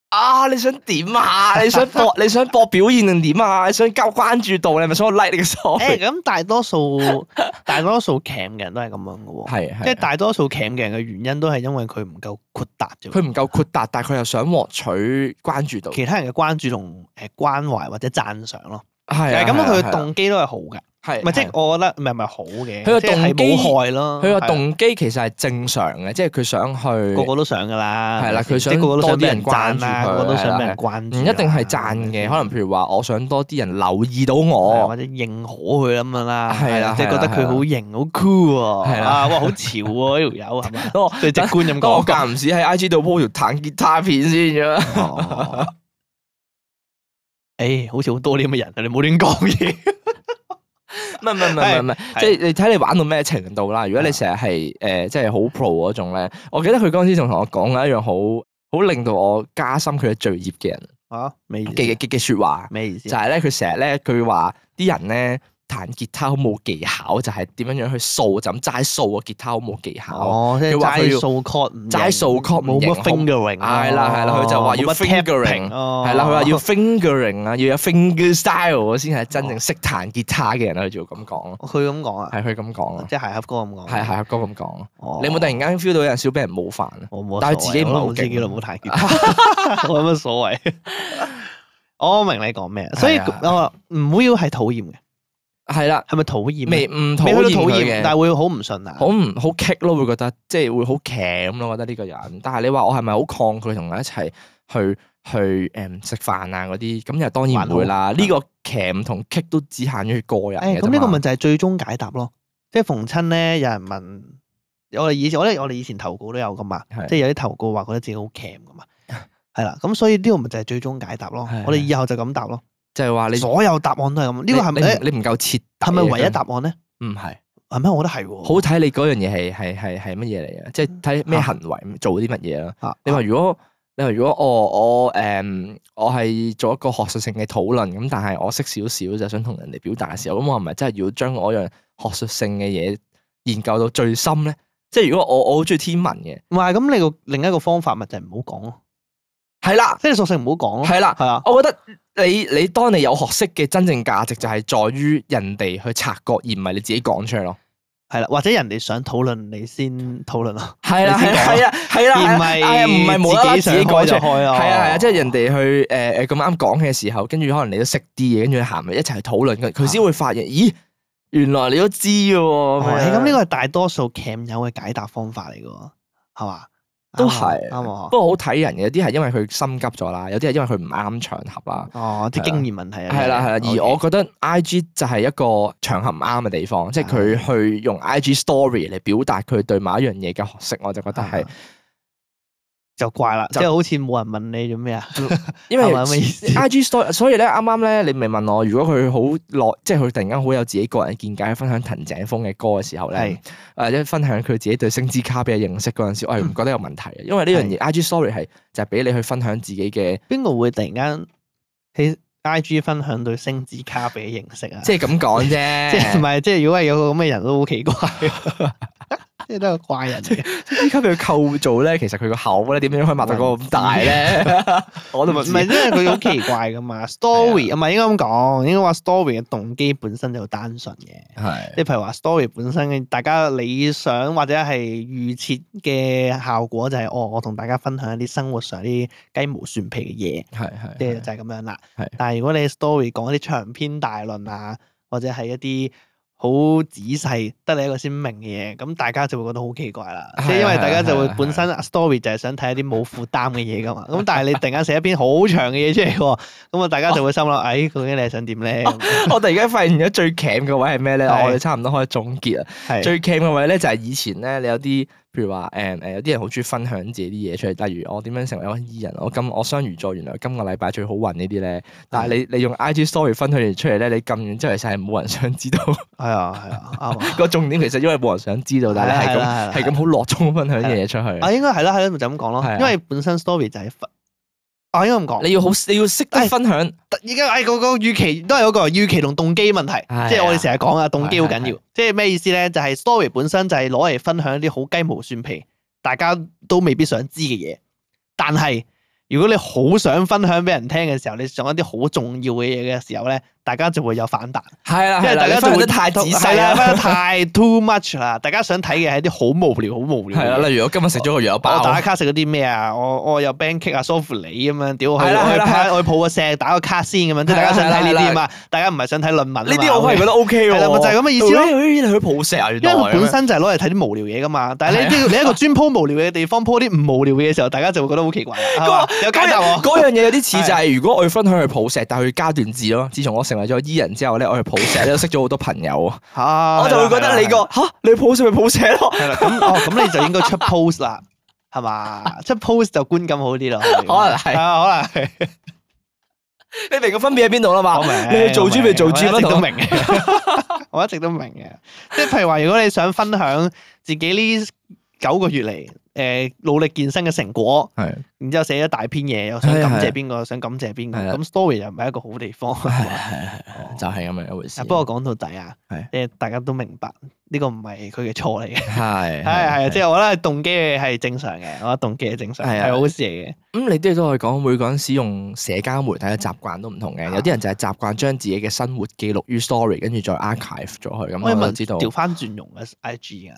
啊，你想點啊？你想博你想博表現定點啊？你想交關注度，你係咪想我 like 你嘅 story？誒，咁大多數大多數 cam 嘅人都係咁樣嘅喎，係即係大多數 cam 嘅人嘅原因都係因為佢唔夠豁達啫。佢唔夠豁達，但係佢又想獲取關注度，其他人嘅關注同誒關懷或者讚賞咯。係啊，咁佢嘅動機都係好嘅。係，唔係即係我覺得唔係唔係好嘅，佢個動機冇害咯。佢個動機其實係正常嘅，即係佢想去個個都想噶啦，係啦，佢想個個都想多啲人關注佢，個個都想俾人關注，唔一定係讚嘅，可能譬如話我想多啲人留意到我，或者認可佢咁樣啦，係啦，即係覺得佢好型好 cool 喎，係啦，哇好潮喎呢條友係咪？最直觀咁講，我間唔時喺 I G 度 po 條彈吉他片先啫。誒，好似好多呢咁嘅人，你冇亂講嘢。唔係唔係唔係唔係，即係你睇你玩到咩程度啦。如果你成日係誒即係好 pro 嗰種咧，我記得佢嗰陣時仲同我講緊一樣好好令到我加深佢嘅罪孽嘅人啊，咩嘅嘅嘅説話，咩意思？就係咧，佢成日咧，佢話啲人咧彈吉他好冇技巧，就係點樣樣去掃，就咁齋掃個吉他好冇技巧。哦，即係齋掃 chord 唔齋掃 chord 冇乜 fingering。係啦係啦，佢就話要 fingering，係啦，佢話要 fingering 啊，要有 finger style 先係真正識彈吉他嘅人，佢就咁講咯。佢咁講啊？係佢咁講啊？即係鞋盒哥咁講。係鞋盒哥咁講。你有冇突然間 feel 到有人少俾人冒犯啊？我冇，但係自己唔係好自己都冇彈吉他，我有乜所謂？我明你講咩，所以我唔會要係討厭嘅。係啦，係咪討厭？未唔討厭佢嘅，但係會好唔順啊，好唔好棘咯？會覺得即係會好鉗咯，覺得呢個人。但係你話我係咪好抗拒同佢一齊去去誒食飯啊嗰啲？咁又當然唔會啦。呢個鉗同棘都只限於個人嘅啫嘛。咁呢個咪就係最終解答咯。即係逢親咧，有人問我哋以前，我咧我哋以前投稿都有噶嘛，即係有啲投稿話覺得自己好鉗噶嘛，係啦。咁所以呢個咪就係最終解答咯。我哋以後就咁答咯。就係話你所有答案都係咁，呢個係咪你唔夠徹底？係咪唯一答案咧？唔係，係咩？我覺得係喎。好睇你嗰樣嘢係係係係乜嘢嚟嘅？即係睇咩行為做啲乜嘢啦。你話如果你話如果我我誒我係做一個學術性嘅討論咁，但係我識少少就想同人哋表達嘅時候，咁我係咪真係要將我樣學術性嘅嘢研究到最深咧？即係如果我我好中意天文嘅，唔係咁，你個另一個方法咪就係唔好講咯。係啦，即係索性唔好講咯。係啦，係啊。我覺得你你當你有學識嘅真正價值就係在於人哋去察覺，而唔係你自己講出嚟咯。係啦，或者人哋想討論你先討論咯。係啦，係係啊，係啦，而唔係唔係冇啦啦自己講出嚟。係啊，係啊，即係人哋去誒誒咁啱講嘅時候，跟住可能你都識啲嘢，跟住行埋一齊去討論，佢先會發現，咦，原來你都知嘅喎。咁呢個係大多數 cam 友嘅解答方法嚟嘅喎，係嘛？都係，啱啊！不過好睇人嘅，有啲係因為佢心急咗啦，有啲係因為佢唔啱場合啦。哦，啲經驗問題啊。係啦係啦，而我覺得 I G 就係一個場合唔啱嘅地方，即係佢去用 I G story 嚟表達佢對某一樣嘢嘅學識，我就覺得係就怪啦，即係好似冇人問你做咩啊？因為 I G story，所以咧啱啱咧你咪問我，如果佢好耐，即係佢突然間好有自己個人見解，分享藤井風嘅歌嘅時候咧，或者分享佢自己對星之卡比嘅認識嗰陣時，我係唔覺得有問題嘅，因為呢樣嘢 I G story 係就係俾你去分享自己嘅。邊個會突然間喺 I G 分享對星之卡比嘅認識啊？即係咁講啫，即係唔係？即係如果係有個咁嘅人都好奇怪。即係都係個怪人嚟嘅。呢級嘅構造咧，其實佢個口咧點樣可以擘到嗰個咁大咧？我都唔知。唔係，因為佢好奇怪噶嘛。story 唔係應該咁講，應該話 story 嘅動機本身就好單純嘅。係即係譬如話 story 本身嘅，大家理想或者係預設嘅效果就係、哦，我同大家分享一啲生活上啲雞毛蒜皮嘅嘢，係係，即係就係咁樣啦。係但係如果你 story 講一啲長篇大論啊，或者係一啲好仔細得你一個先明嘅嘢，咁大家就會覺得好奇怪啦。即係因為大家就會本身 story 就係想睇一啲冇負擔嘅嘢噶嘛。咁但係你突然間寫一篇好長嘅嘢出嚟喎，咁啊大家就會心諗，哎，究竟你係想點咧？我突然間發現咗最 cam 嘅位係咩咧？係我哋差唔多可以總結啦。係最 cam 嘅位咧就係以前咧，你有啲譬如話誒誒，有啲人好中意分享自己啲嘢出嚟，例如我點樣成為一個 E 人，我今我雙魚座原來今個禮拜最好運呢啲咧。但係你你用 I G story 分享完出嚟咧，你撳完之後其實係冇人想知道。係啊係啊，啱啊。個重點其實因為冇人想知道，但係你係咁係咁好落衷分享啲嘢出去。啊，應該係啦係啦，咪就咁講咯。係啊因為本身 story 就係分，啊應該咁講。你要好你要識得分享。而家誒個個預期都係嗰個預期同動機問題，係啊即係我哋成日講啊，動機好緊係要。即係咩意思咧？就係 story 本身就係攞嚟分享一啲好雞毛蒜皮，大家都未必想知嘅嘢。但係如果你好想分享俾人聽嘅時候，你講一啲好重要嘅嘢嘅時候咧，大家就會有反彈。係啦，因為大家就會分享得太仔細係啦，啦。分得太 too much 啦。大家想睇嘅係一啲好無聊、好無聊嘅係啦，嘢。例如我今日食咗個羊肉我包，打卡食嗰啲咩啊？我我有 band cake 啊、梳芙梨咁樣，屌我去我去係啦係啦拍我去抱個石打個卡先咁樣，即係大家想睇呢啲啊嘛，大家唔係想睇論文啊嘛。呢啲我係覺得 O K 喎。係啦咪就係咁嘅意思咯咦你去抱石啊？原來因為佢本身就係攞嚟睇啲無聊嘢噶嘛，但係你係啊你一個專鋪無聊嘅地方鋪啲唔無聊嘅嘢嘅時候，大家就會覺得好奇怪啦。係嘛有解答喎。嗰樣嘢有啲似就係，如果我要分享去抱石，但係佢加段字咯。自從我成為咗 E 人之後咧，我去抱石咧，都識咗好多朋友啊。啊我就會覺得你個吓你抱石咪抱石咯。係啦，咁哦咁你就應該出 post 啦，係嘛？出 post 就觀感好啲咯。可能係啊，可能係。你明個分別喺邊度啦嘛？我明，你去做豬咪做豬我一直都咯。明嘅，我一直都明嘅。即係譬如話，如果你想分享自己呢九個月嚟誒努力健身嘅成果，係然之後寫一大篇嘢，又想係感謝係邊個，想感謝邊個，係啦咁 story 又唔係一個好地方。係係係，就係咁樣一回事。啊不過講到底啊係，即係大家都明白呢個唔係佢嘅錯嚟嘅。係係係，即係我覺得動機係正常嘅，我覺得動機係正常，係啊係好事嚟嘅。咁你都都可以講，每個人使用社交媒體嘅習慣都唔同嘅。有啲人就係習慣將自己嘅生活記錄於 story，跟住再 archive 咗佢。咁我問我就知道，調翻轉用嘅 I G 啊。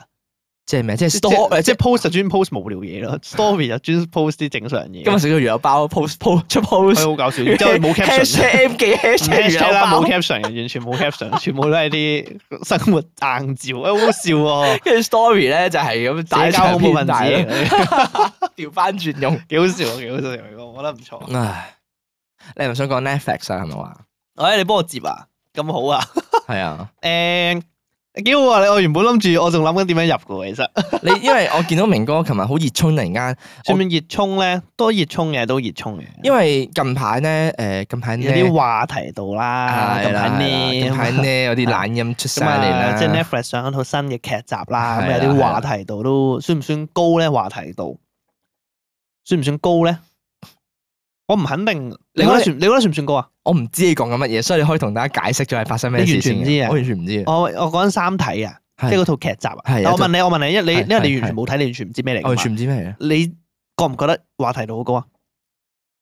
即係咩？即係即 store 係即係誒即係 post 就專 post 無聊嘢咯，story 就專 post 啲正常嘢。今日食咗羊肉包，post post 出 post，佢好搞笑，然之後冇 caption， hashtag M 記 hashtag ，hashtag 啦，冇羊肉包， caption 嘅，完全冇 caption，全部都係啲生活硬照，誒好好笑喎，跟住 story 咧就係咁打社交恐怖分子大嚟嘅，調翻轉用。幾好笑，幾好笑，我覺得唔錯。唉，你係咪想講 Netflix 啊？係咪話？誒，你幫我接啊，咁好啊，係啊，誒幾好啊！你我原本諗住，我仲諗緊點樣入嘅，其實你因為我見到明哥琴日好熱衷，突然間，算唔算熱衷咧？都熱衷嘅，都熱衷嘅。因為近排咧誒近排有啲話題度啦，近排呢，近排呢有啲懶音出晒嚟啦，即係 Netflix 上一套新嘅劇集啦，咁係啦有啲話題度都算唔算高咧？話題度算唔算高咧？我唔肯定，你覺得算？你覺得算唔算高啊？我唔知你講緊乜嘢，所以你可以同大家解釋咗係發生咩事先。你完全唔知啊我完全唔知。我我講緊三體啊，即係嗰套劇集啊。係但我問你，我問你，因為你係因為你係完全冇睇，你完全唔知咩嚟㗎嘛。我完全唔知咩嚟嘅。你覺唔覺得話題度好高啊？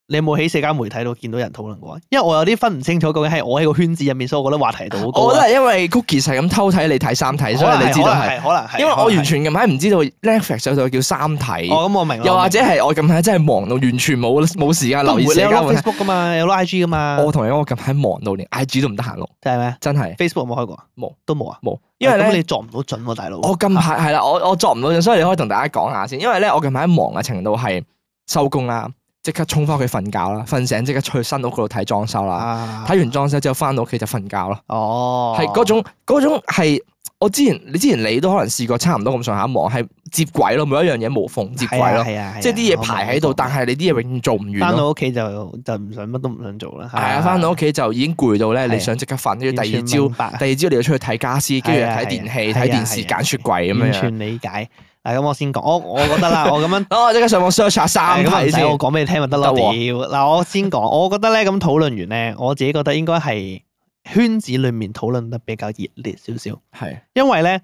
你有冇喺社交媒體度見到人討論過啊？因為我有啲分唔清楚究竟係我喺個圈子入面，所以我覺得話題度好高啊。我覺得係因為 Cookie 係咁偷睇你睇三體，所以你知道係。可能係，因為我完全近排唔知道 Netflix 有套叫三體。哦，咁我明啦。又或者係我近排真係忙到完全冇冇時間留意你有攞社交媒體。 Facebook 噶嘛，有攞 I G 噶嘛。我同你講，我近排忙到連 I G 都唔得閒錄，真係咩真係？Facebook 有冇開過啊？冇，都冇啊。冇。因為咧咁你作唔到準喎，大佬。我近排係啦，我我作唔到陣，所以你可以同大家講下先。因為咧，我近排忙嘅程度係收工啦，即刻衝翻屋企瞓覺啦，瞓醒即刻出去新屋嗰度睇裝修啦。啊，睇完裝修之後翻到屋企就瞓覺咯。哦，係嗰種嗰種係我之前你之前你都可能試過差唔多咁上下忙，係接軌咯，每一樣嘢無縫接軌咯。係啊，即係啲嘢排喺度，但係你啲嘢永遠做唔完咯。翻到屋企就就唔想乜都唔想做啦。係啊，翻到屋企就已經攰到咧，係你想即刻瞓，跟住第二完全明朝白第二朝你要出去睇家私，跟住又係啊睇電器、係啊睇電視、係啊揀雪櫃咁樣。完全理解。嗱，咁我先講，我我覺得啦，我咁樣。哦，即刻上網 search 下三體先。咁唔使我講俾你聽咪得咯。得屌，喎嗱，我先講，我覺得咧咁討論完咧，我自己覺得應該係圈子裡面討論得比較熱烈少少，係因為咧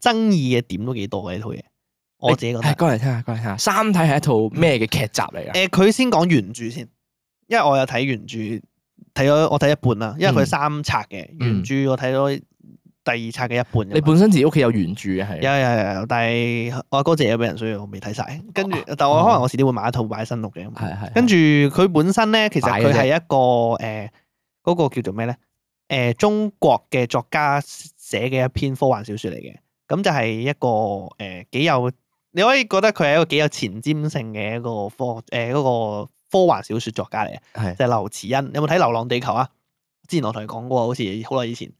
爭議嘅點都幾多嘅呢套嘢，我自己覺得。係講嚟聽下，講嚟聽下，《三體》係一套咩嘅劇集嚟㗎？誒，佢先講原著先，因為我有睇原著，睇咗我睇一半啦，因為佢三冊嘅原著，我睇咗第二冊嘅一半。你本身自己屋企有原著嘅係？有有有，但係我阿哥借咗俾人，所以我未睇晒。跟住，但我可能我遲啲會買一套擺喺新屋嘅。係係。跟住佢本身咧，其實佢係一個誒嗰個叫做咩咧？誒中國嘅作家寫嘅一篇科幻小説嚟嘅，咁就係一個誒幾有，你可以覺得佢係一個幾有前瞻性嘅一個科誒嗰個科幻小説作家嚟嘅，係就係劉慈欣。有冇睇《流浪地球》啊？之前我同你講過，好似好耐以前。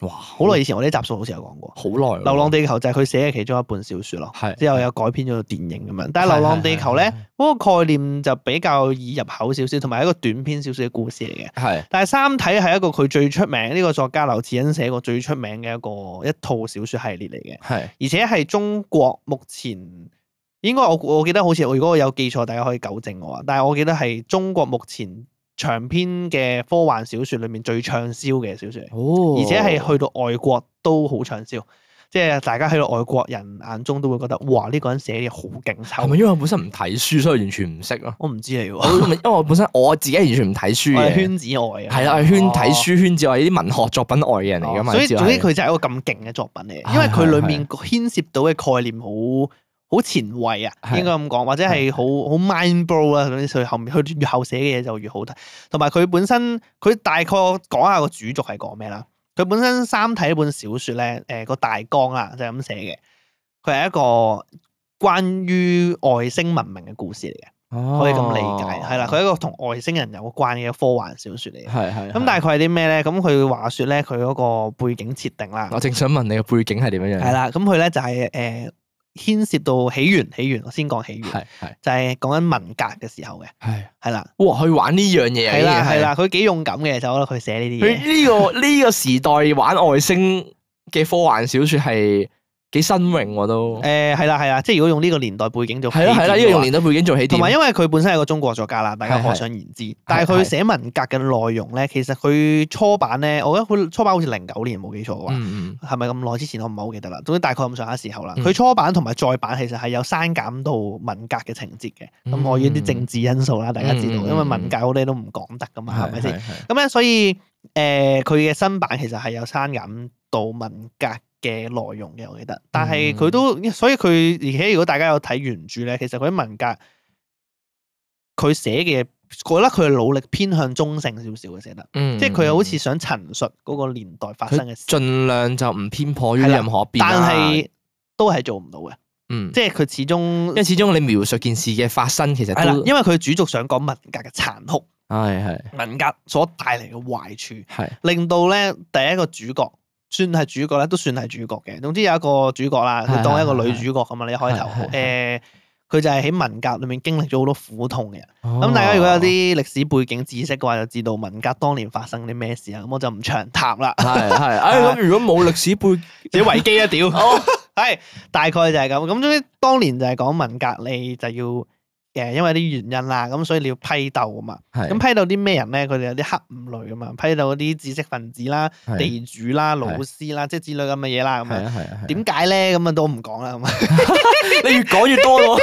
哇！好耐以前我啲集數好似有講過，好耐。《流浪地球》就係佢寫嘅其中一本小説咯，係之後有改編咗做電影咁樣。但係《流浪地球》咧，嗰個概念就比較易入口少少，同埋一個短篇少少嘅故事嚟嘅。係。但係《三體》係一個佢最出名呢個作家劉慈欣寫過最出名嘅一個一套小説系列嚟嘅。係。而且係中國目前應該我我記得好似如果我有記錯，大家可以糾正我啊。但係我記得係中國目前長篇嘅科幻小説裏面最暢銷嘅小説嚟，哦，而且係去到外國都好暢銷，即係大家喺到外國人眼中都會覺得，哇！呢個人寫嘢好勁抽。係咪因為我本身唔睇書，所以完全唔識咯？我唔知你喎，因為我本身我自己完全唔睇書嘅，圈子外啊，係啦，係圈睇書圈子外，呢啲文學作品外嘅人嚟噶嘛。所以總之佢佢就係一個咁勁嘅作品嚟，因為佢裡面牽涉到嘅概念好好前衛啊，應該咁講，或者係好好 mind blow 啊，總之佢後面佢越後寫嘅嘢就越好睇。同埋佢本身佢大概講下個主軸係講咩啦？佢本身《三體》呢本小説咧，誒個大綱啊就係咁寫嘅。佢係一個關於外星文明嘅故事嚟嘅，可以咁理解係啦。佢係一個同外星人有關嘅科幻小説嚟嘅。係係。咁大概係啲咩咧？咁佢話説咧，佢嗰個背景設定啦。我正想問你個背景係點樣樣？係啦，咁佢咧就係誒。牽涉到起源，起源我先講起源，係係就係講緊文革嘅時候嘅，係係啦，哇！去玩呢樣嘢，係啦係啦，佢幾勇敢嘅，就我覺得佢寫呢啲嘢。佢呢個呢個時代玩外星嘅科幻小説係幾新穎喎都。誒係啦係啦，即係如果用呢個年代背景做起係啦係啦，呢個用年代背景做起點。同埋因為佢本身係個中國作家啦，大家可想而知。但係佢寫文革嘅內容咧，其實佢初版咧，我覺得佢初版好似零九年冇記錯嘅話，係咪咁耐之前我唔係好記得啦。總之大概咁上下時候啦。佢初版同埋再版其實係有刪減到文革嘅情節嘅。咁礙於啲政治因素啦，大家知道，因為文革好多嘢都唔講得噶嘛，係咪先？咁咧所以誒佢嘅新版其實係有刪減到文革嘅內容嘅，我記得，但係佢都，所以佢而且如果大家有睇原著咧，其實佢啲文革佢寫嘅，覺得佢係努力偏向中性少少嘅寫得，嗯、即係佢好似想陳述嗰個年代發生嘅事，盡量就唔偏頗於任何一邊，但係都係做唔到嘅，嗯，即係佢始終，因為始終你描述件事嘅發生，其實係啦，因為佢主軸想講文革嘅殘酷，係係文革所帶嚟嘅壞處，係令到咧第一個主角。算係主角咧，都算係主角嘅。總之有一個主角啦，佢當一個女主角咁嘛。你一開頭，誒，佢就係喺文革裏面經歷咗好多苦痛嘅人。咁大家如果有啲歷史背景知識嘅話，就知道文革當年發生啲咩事啊。咁我就唔長談啦。係係，誒咁如果冇歷史背，自己維基一屌。係大概就係咁。咁總之當年就係講文革，你就要。誒，因為啲原因啦，咁所以你要批鬥啊嘛。咁批鬥啲咩人咧？佢哋有啲黑五類啊嘛，批鬥嗰啲知識分子啦、地主啦、老師啦，即係之類咁嘅嘢啦。咁啊，點解咧？咁啊都唔講啦。咁啊，你越講越多咯。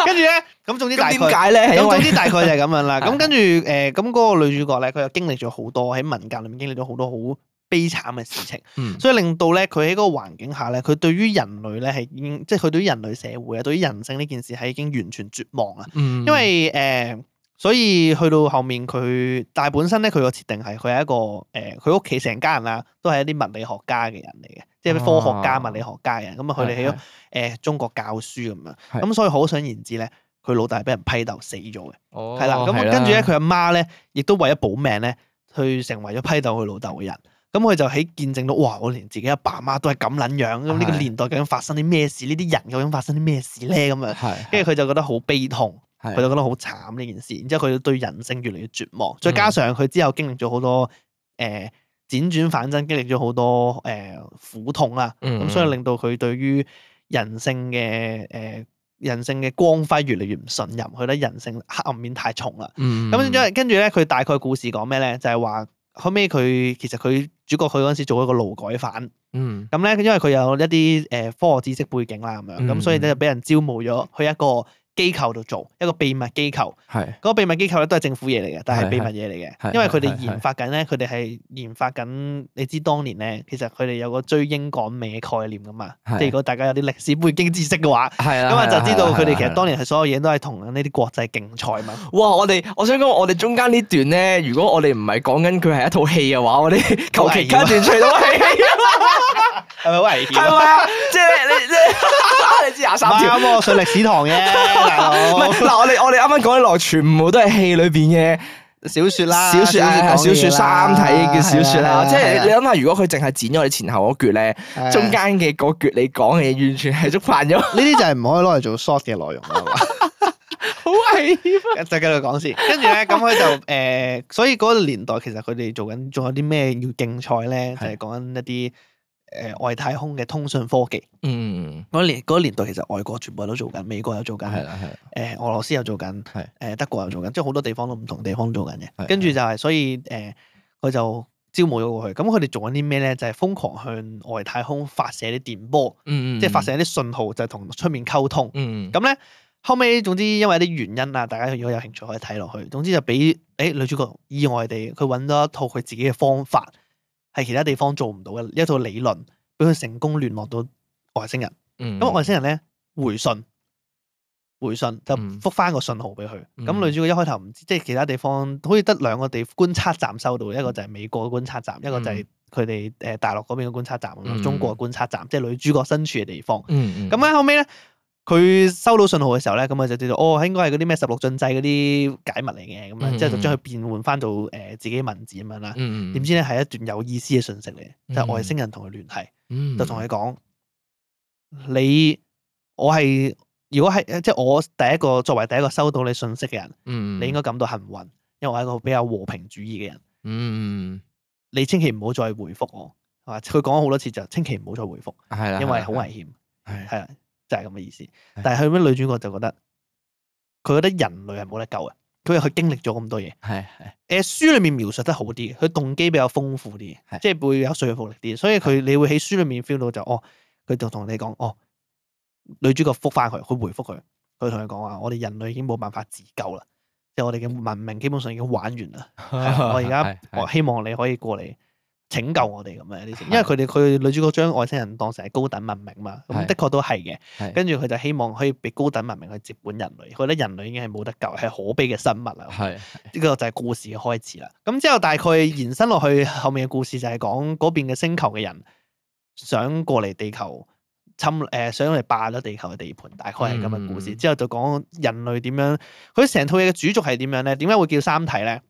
跟住咧，咁總之大概點解咧？咁總之大概就係咁樣啦。咁跟住誒，咁嗰個女主角咧，佢又經歷咗好多喺文革裏面經歷咗好多好悲慘嘅事情，嗯、所以令到咧佢喺嗰個環境下咧，佢對於人類咧係已經，即係佢對於人類社會啊，對於人性呢件事係已經完全絕望啦。嗯、因為誒、呃，所以去到後面佢，但係本身咧佢個設定係佢係一個誒，佢屋企成家人啊，都係一啲物理學家嘅人嚟嘅，即係科學家、哦、物理學家嘅人。咁啊，佢哋喺咗誒中國教書咁樣，咁是所以可想而知咧，佢老豆係俾人批鬥死咗嘅。哦，係啦，咁跟住咧，佢阿媽咧，亦都為咗保命咧，去成為咗批鬥佢老豆嘅人。咁佢就喺見證到，哇！我連自己阿爸阿媽都係咁撚樣，咁呢個年代究竟發生啲咩事？呢啲人究竟發生啲咩事咧？咁樣，跟住佢就覺得好悲痛，佢就覺得好慘呢件事。然之後佢對人性越嚟越絕望，再加上佢之後經歷咗好多誒輾轉反側，經歷咗好多誒苦痛啦。咁所以令到佢對於人性嘅誒人性嘅光輝越嚟越唔信任，佢覺得人性黑暗面太重啦。咁跟住跟住咧，佢大概故事講咩咧？就係話。後尾佢其實佢主角佢嗰陣時做一個勞改犯。嗯，咁咧，因為佢有一啲誒科學知識背景啦，咁樣咁，嗯所以咧就俾人招募咗去一個機構度做一個秘密機構。係嗰個秘密機構咧都係政府嘢嚟嘅，但係秘密嘢嚟係嘅，因為佢哋係係研發緊咧，佢哋係研發緊。你知當年咧，其實佢哋有個追英趕美嘅概念噶嘛，係即係如果大家有啲歷史背景知識嘅話，係啦，咁啊就知道佢哋其係啦實當年係所有嘢都係同呢啲國際競賽嘛。哇！我哋我想講，我哋中間呢段咧，如果我哋唔係講緊佢係一套戲嘅話，我哋求其加段除到係戲，係咪好危險？係咪啊？即係你你你知廿三條。啱喎，上歷史堂嘅大佬。唔係嗱，我哋我哋啱啱講啲落，全部都係戲裏邊嘅小説啦，小説啊，小説三體嘅小説啦。即係你係諗下，如果佢淨係剪咗你前後嗰橛咧，啊中間嘅嗰橛你講嘅嘢，完全係觸犯咗，呢啲就係唔可以攞嚟做 short 嘅內容啦。係嘛？好危險啊！就繼續講先，跟住咧，咁佢就誒、呃，所以嗰個年代其實佢哋做緊，仲有啲咩要競賽咧？就係講緊一啲誒、呃、外太空嘅通訊科技。嗯，嗰年嗰個年代其實外國全部都做緊，美國有做緊，誒、係啦係啦，呃、俄羅斯有做緊，係誒德國有做緊，即係好多地方都唔同地方做緊嘅。係跟住就係、所以誒，佢、呃、就招募咗過去。咁佢哋做緊啲咩咧？就係、瘋狂向外太空發射啲電波，嗯即係發射一啲信號，就係同出面溝通。嗯，咁咧後尾總之因為一啲原因啊，大家如果有興趣可以睇落去。總之就俾誒女主角意外地佢揾咗一套佢自己嘅方法，係其他地方做唔到嘅一套理論，俾佢成功聯絡到外星人。嗯，咁外星人咧回信，回信就嗯覆翻個信號俾佢。咁、嗯女主角一開頭唔知，即係其他地方好似得兩個地觀察站收到，一個就係美國嘅觀察站，一個就係佢哋誒大陸嗰邊嘅觀察站，嗯中國嘅觀察站，即係女主角身處嘅地方。嗯，嗯咁咧後尾咧，佢收到信號嘅時候咧，咁佢就知道哦，應該係嗰啲咩十六進制嗰啲解密嚟嘅，咁嗯啊，之後就將佢變換翻到誒自己文字咁樣啦。嗯，點知咧係一段有意思嘅信息嚟，就係、嗯外星人同佢聯繫，嗯就同佢講：你我係如果係即係我第一個作為第一個收到你信息嘅人，嗯，你應該感到幸運，因為我係一個比較和平主義嘅人。嗯，你千祈唔好再回覆我，係嘛？佢講咗好多次就千祈唔好再回覆，係啦，因為好危險。係係啦，就係咁嘅意思。但係佢咩女主角就覺得，佢覺得人類係冇得救嘅，佢佢經歷咗咁多嘢。係係誒書裏面描述得好啲，佢動機比較豐富啲，係即係會有說服力啲。所以佢你會喺書裏面 feel 到就哦，佢就同你講哦，女主角覆翻佢，佢回覆佢，佢同佢講話，我哋人類已經冇辦法自救啦，即係我哋嘅文明基本上已經玩完啦。係啊我而家係我希望你可以過嚟拯救我哋咁樣啲，因為佢哋佢女主角將外星人當成係高等文明嘛，咁係的確都係嘅。係跟住佢就希望可以俾高等文明去接管人類，覺得人類已經係冇得救，係可悲嘅生物啦。係呢個就係故事嘅開始啦。咁之後大概延伸落去後面嘅故事就係講嗰邊嘅星球嘅人想過嚟地球侵誒、呃，想嚟霸咗地球嘅地盤，大概係咁嘅故事。嗯之後就講人類點樣，佢成套嘢嘅主軸係點樣咧？點解會叫三體咧？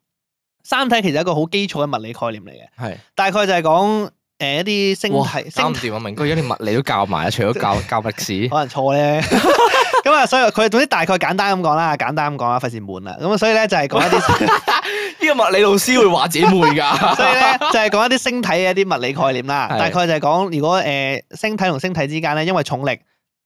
三體其實係一個好基礎嘅物理概念嚟嘅，係。大概就係講誒一啲星哇，體星體搞唔掂啊！明哥，而家連物理都教埋啊，除咗教教歷史，可能錯咧。咁啊，所以佢總之大概簡單咁講啦，簡單咁講啦，費事悶啦。咁啊，所以咧就係講一啲。呢個物理老師會話自己悶㗎。所以咧就係講一啲星體嘅一啲物理概念啦，係大概就係講如果誒、呃、星體同星體之間咧，因為重力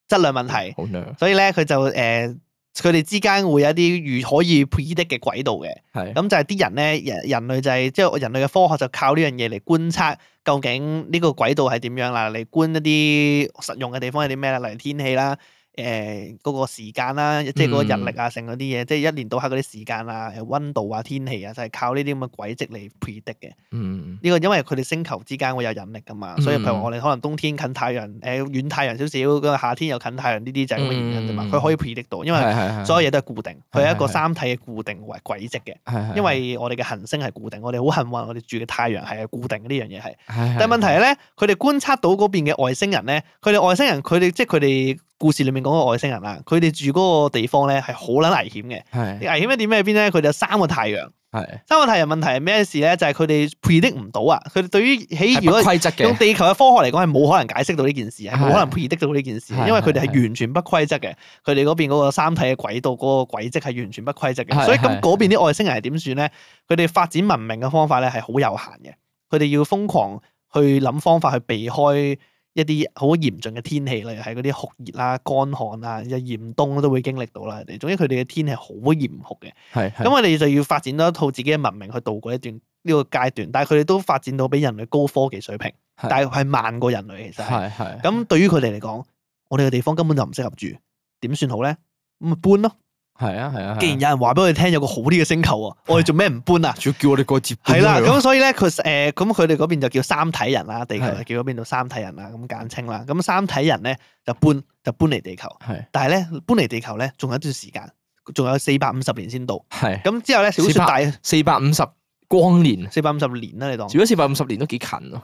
質量問題，好娘，所以咧佢就誒佢哋之間會有一啲預可以 predict 嘅軌道嘅，係咁就係啲人咧人人類就係即係人類嘅科學就靠呢樣嘢嚟觀測究竟呢個軌道係點樣啦，嚟觀一啲實用嘅地方係啲咩啦，例如天氣啦。誒嗰個時間啦，即係嗰個日曆啊，成嗰啲嘢，即係一年到黑嗰啲時間啊、誒溫度啊、天氣啊，就係靠呢啲咁嘅軌跡嚟 predict 嘅。嗯呢個因為佢哋星球之間會有引力噶嘛，所以譬如話我哋可能冬天近太陽，誒遠太陽少少，咁啊夏天又近太陽，呢啲就係咁嘅原因啫嘛。嗯佢可以 predict 到，因為係係係所有嘢都係固定，佢係一個係係三體嘅固定為軌跡嘅。係係因為我哋嘅行星係固定，我哋好幸運，我哋住嘅太陽係固定嘅呢樣嘢係。係但係問題係咧，佢哋觀察到嗰邊嘅外星人咧，佢哋外星人佢哋即係佢哋故事裡面講嘅外星人啦，佢哋住嗰個地方咧係好撚危險嘅。係危險一點喺邊咧？佢哋有三個太陽，係三個太陽問題係咩事咧？就係佢哋 predict 唔到啊！佢哋對於喺如果規則嘅，用地球嘅科學嚟講係冇可能解釋到呢件事，係冇可能 predict 到呢件事，係因為佢哋係係完全不規則嘅。佢哋嗰邊嗰個三體嘅軌道嗰個軌跡係完全不規則嘅，係所以咁係嗰邊啲外星人係點算咧？佢哋發展文明嘅方法咧係好有限嘅，佢哋要瘋狂去諗方法去避開一啲好嚴峻嘅天氣，例如係嗰啲酷熱啦、乾旱啊、又嚴冬都會經歷到啦。佢哋總之佢哋嘅天氣好嚴酷嘅。係咁我哋就要發展多一套自己嘅文明去度過一段呢個階段，但係佢哋都發展到比人類高科技水平，係但係係慢過人類其實係。係係。咁對於佢哋嚟講，我哋嘅地方根本就唔適合住，點算好咧？咁咪搬咯。係啊係啊。既然有人話俾我哋聽有個好啲嘅星球啊，我哋做咩唔搬啊？仲要叫我哋過接搬係啦，佢喎咁所以咧佢誒咁佢哋嗰邊就叫三體人啦，地球係就叫嗰邊做三體人啦，咁簡稱啦。咁三體人咧就搬就搬嚟地球，係但係咧搬嚟地球咧仲有一段時間，仲有四百五十年先到。係。咁之後咧小説大四百五十光年，四百五十年啦，你當如果四百五十年都幾近咯。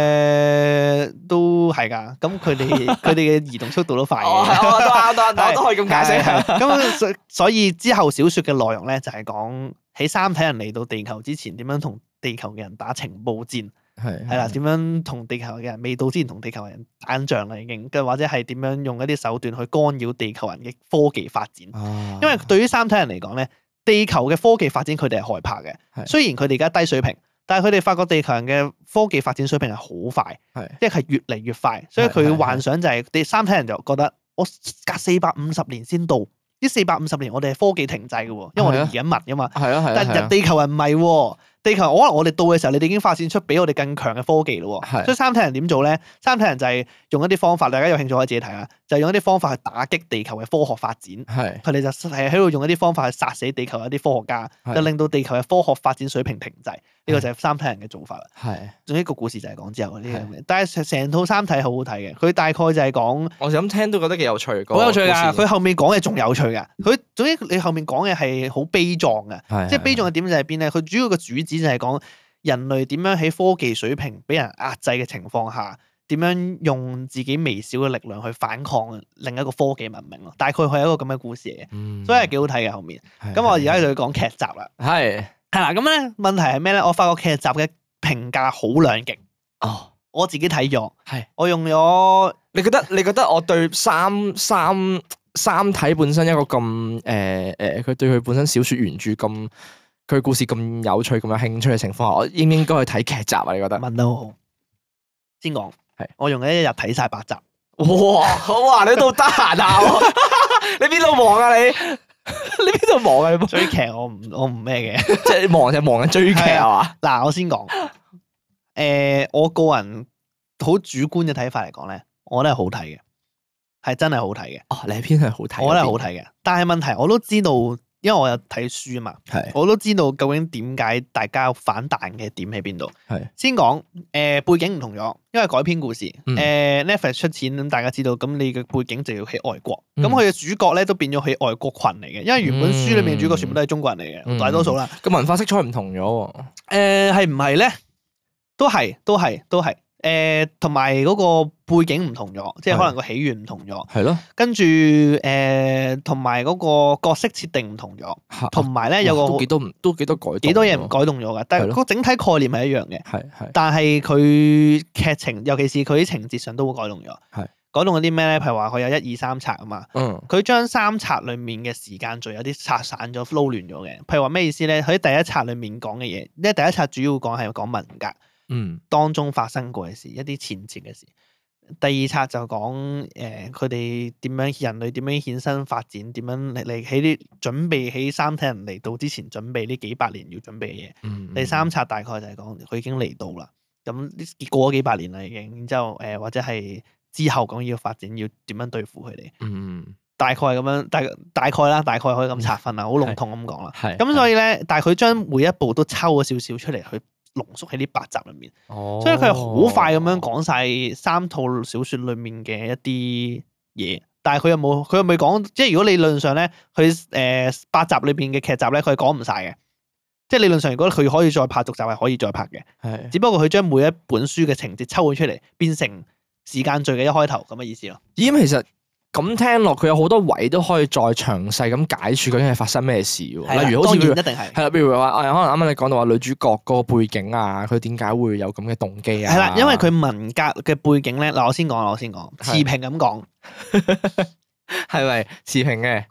誒都係㗎。咁佢哋佢哋嘅移動速度都快嘅。哦，係我都啱，都啱，我都可以咁解釋。係係咁所所以之後小説嘅內容咧就係講喺三體人嚟到地球之前點樣同地球嘅人打情報戰。係係啦，點樣同地球嘅人未到之前同地球人打緊仗啦已經，跟或者係點樣用一啲手段去干擾地球人嘅科技發展。啊因為對於三體人嚟講咧，地球嘅科技發展佢哋係害怕嘅。係雖然佢哋而家低水平，但係佢哋發覺地球人嘅科技發展水平係好快，係即係越嚟越快。所以佢幻想就係地三體人就覺得我隔四百五十年先到，呢四百五十年我哋係科技停滯嘅喎，因為我哋移緊民㗎嘛。係啊係啊。但係人地球人唔係喎。地球可能我哋到嘅時候，你哋已經發展出比我哋更強嘅科技咯喎。係所以三體人點做咧？三體人就係用一啲方法，大家有興趣可以自己睇下，就係用一啲方法去打擊地球嘅科學發展。係佢哋就係喺度用一啲方法去殺死地球一啲科學家，係就令到地球嘅科學發展水平停滯。呢個就係三體人嘅做法啦。係。總之個故事就係講之後嗰啲咁嘅，但係成成套三體好好睇嘅。佢大概就係講我就咁聽都覺得幾有趣。好有趣㗎。㗎。佢後面講嘅仲有趣㗎。佢總之你後面講嘅係好悲壯嘅。係即係悲壯嘅點就係邊咧？佢主要個主旨就係講人類點樣喺科技水平俾人壓制嘅情況下，點樣用自己微小嘅力量去反抗另一個科技文明咯。大概佢係一個咁嘅故事嚟嘅，嗯所以係幾好睇嘅後面。咁我而家就要講劇集啦。係係啦，咁咧問題係咩咧？我發覺劇集嘅評價好兩極。哦，我自己睇咗，係我用咗你覺得你覺得我對三三三體本身一個咁誒誒，佢對佢本身小説原著咁。佢故事咁有趣、咁有興趣嘅情況下，我應唔應該去睇劇集啊？你覺得？問得好好。先講係，我用咗一日睇晒八集。哇！好啊，你都得閒啊？你邊度忙啊？你你邊度忙啊？你追劇我唔我唔咩嘅，即係忙就忙緊追劇係嘛？嗱，我先講。誒，我個人好主觀嘅睇法嚟講咧，我覺得係好睇嘅，係真係好睇嘅。哦，你係偏係好睇，我覺得係好睇嘅。但係問題我都知道。因為我有睇書啊嘛，係我都知道究竟點解大家有反彈嘅點喺邊度。係先講誒、呃、背景唔同咗，因為改編故事。誒、嗯呃、Netflix 出錢咁，大家知道咁你嘅背景就要喺外國。咁嗯佢嘅主角咧都變咗喺外國群嚟嘅，因為原本書裏面嘅主角全部都係中國人嚟嘅，嗯大多數啦。個文化色彩唔同咗喎。誒係唔係咧？都係都係都係。誒同埋嗰個背景唔同咗，即係可能個起源唔同咗。係咯。跟住誒同埋嗰個角色設定唔同咗，同埋咧有個都幾多唔都幾多改動，幾多嘢唔改動咗嘅，但係個整體概念係一樣嘅。係係。但係佢劇情，尤其是佢啲情節上都會改動咗。係。改動咗啲咩咧？譬如話佢有一二三冊啊嘛。嗯。佢將三冊裡面嘅時間序有啲拆散咗、撈亂咗嘅。譬如話咩意思咧？佢喺第一冊裡面講嘅嘢，因為第一冊主要講係講文革。嗯，當中發生過嘅事，一啲前節嘅事。第二冊就講誒佢哋點樣人類點樣衍生發展，點樣嚟嚟喺啲準備喺三體人嚟到之前準備呢幾百年要準備嘅嘢。嗯嗯、第三冊大概就係講佢已經嚟到啦，咁過咗幾百年啦已經，然之後誒、呃、或者係之後講要發展要點樣對付佢哋。嗯，大概咁樣，大大概啦，大概可以咁拆分啦，好籠統咁講啦。係。咁所以咧，但係佢將每一步都抽咗少少出嚟去。濃縮喺呢八集裏面，哦、所以佢係好快咁樣講晒三套小説裏面嘅一啲嘢，但係佢又冇，佢又未講，即係如果理論上咧，佢誒、呃、八集裏邊嘅劇集咧，佢係講唔晒嘅，即係理論上如果佢可以再拍續集係可以再拍嘅，係，只不過佢將每一本書嘅情節抽咗出嚟，變成時間序嘅一開頭咁嘅意思咯。咦，咁其實。咁聽落，佢有好多位都可以再詳細咁解説究竟係發生咩事喎？例如好似譬如一定係係啦，譬如話誒，可能啱啱你講到話女主角嗰個背景啊，佢點解會有咁嘅動機啊？係啦，因為佢文革嘅背景咧，嗱我先講，我先講，持平咁講，係咪持平嘅？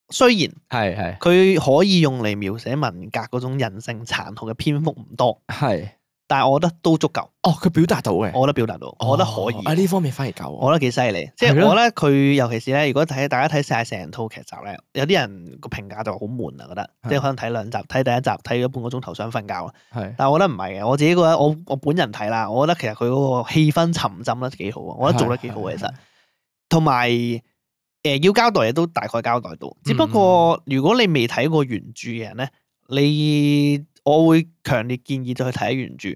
雖然係係，佢可以用嚟描寫文革嗰種人性殘酷嘅篇幅唔多，係。但係我覺得都足夠。哦，佢表達到嘅，我覺得表達到，我覺得可以。啊呢方面反而夠，我覺得幾犀利。即係我覺得佢尤其是咧，如果睇大家睇晒成套劇集咧，有啲人個評價就好悶啊，覺得即係可能睇兩集，睇第一集睇咗半個鐘頭想瞓覺啦。係，但係我覺得唔係嘅，我自己覺得我我本人睇啦，我覺得其實佢嗰個氣氛沉浸得幾好啊，我覺得做得幾好嘅其實。同埋誒要交代嘢都大概交代到，只不過如果你未睇過原著嘅人咧，你我會強烈建議就去睇原著。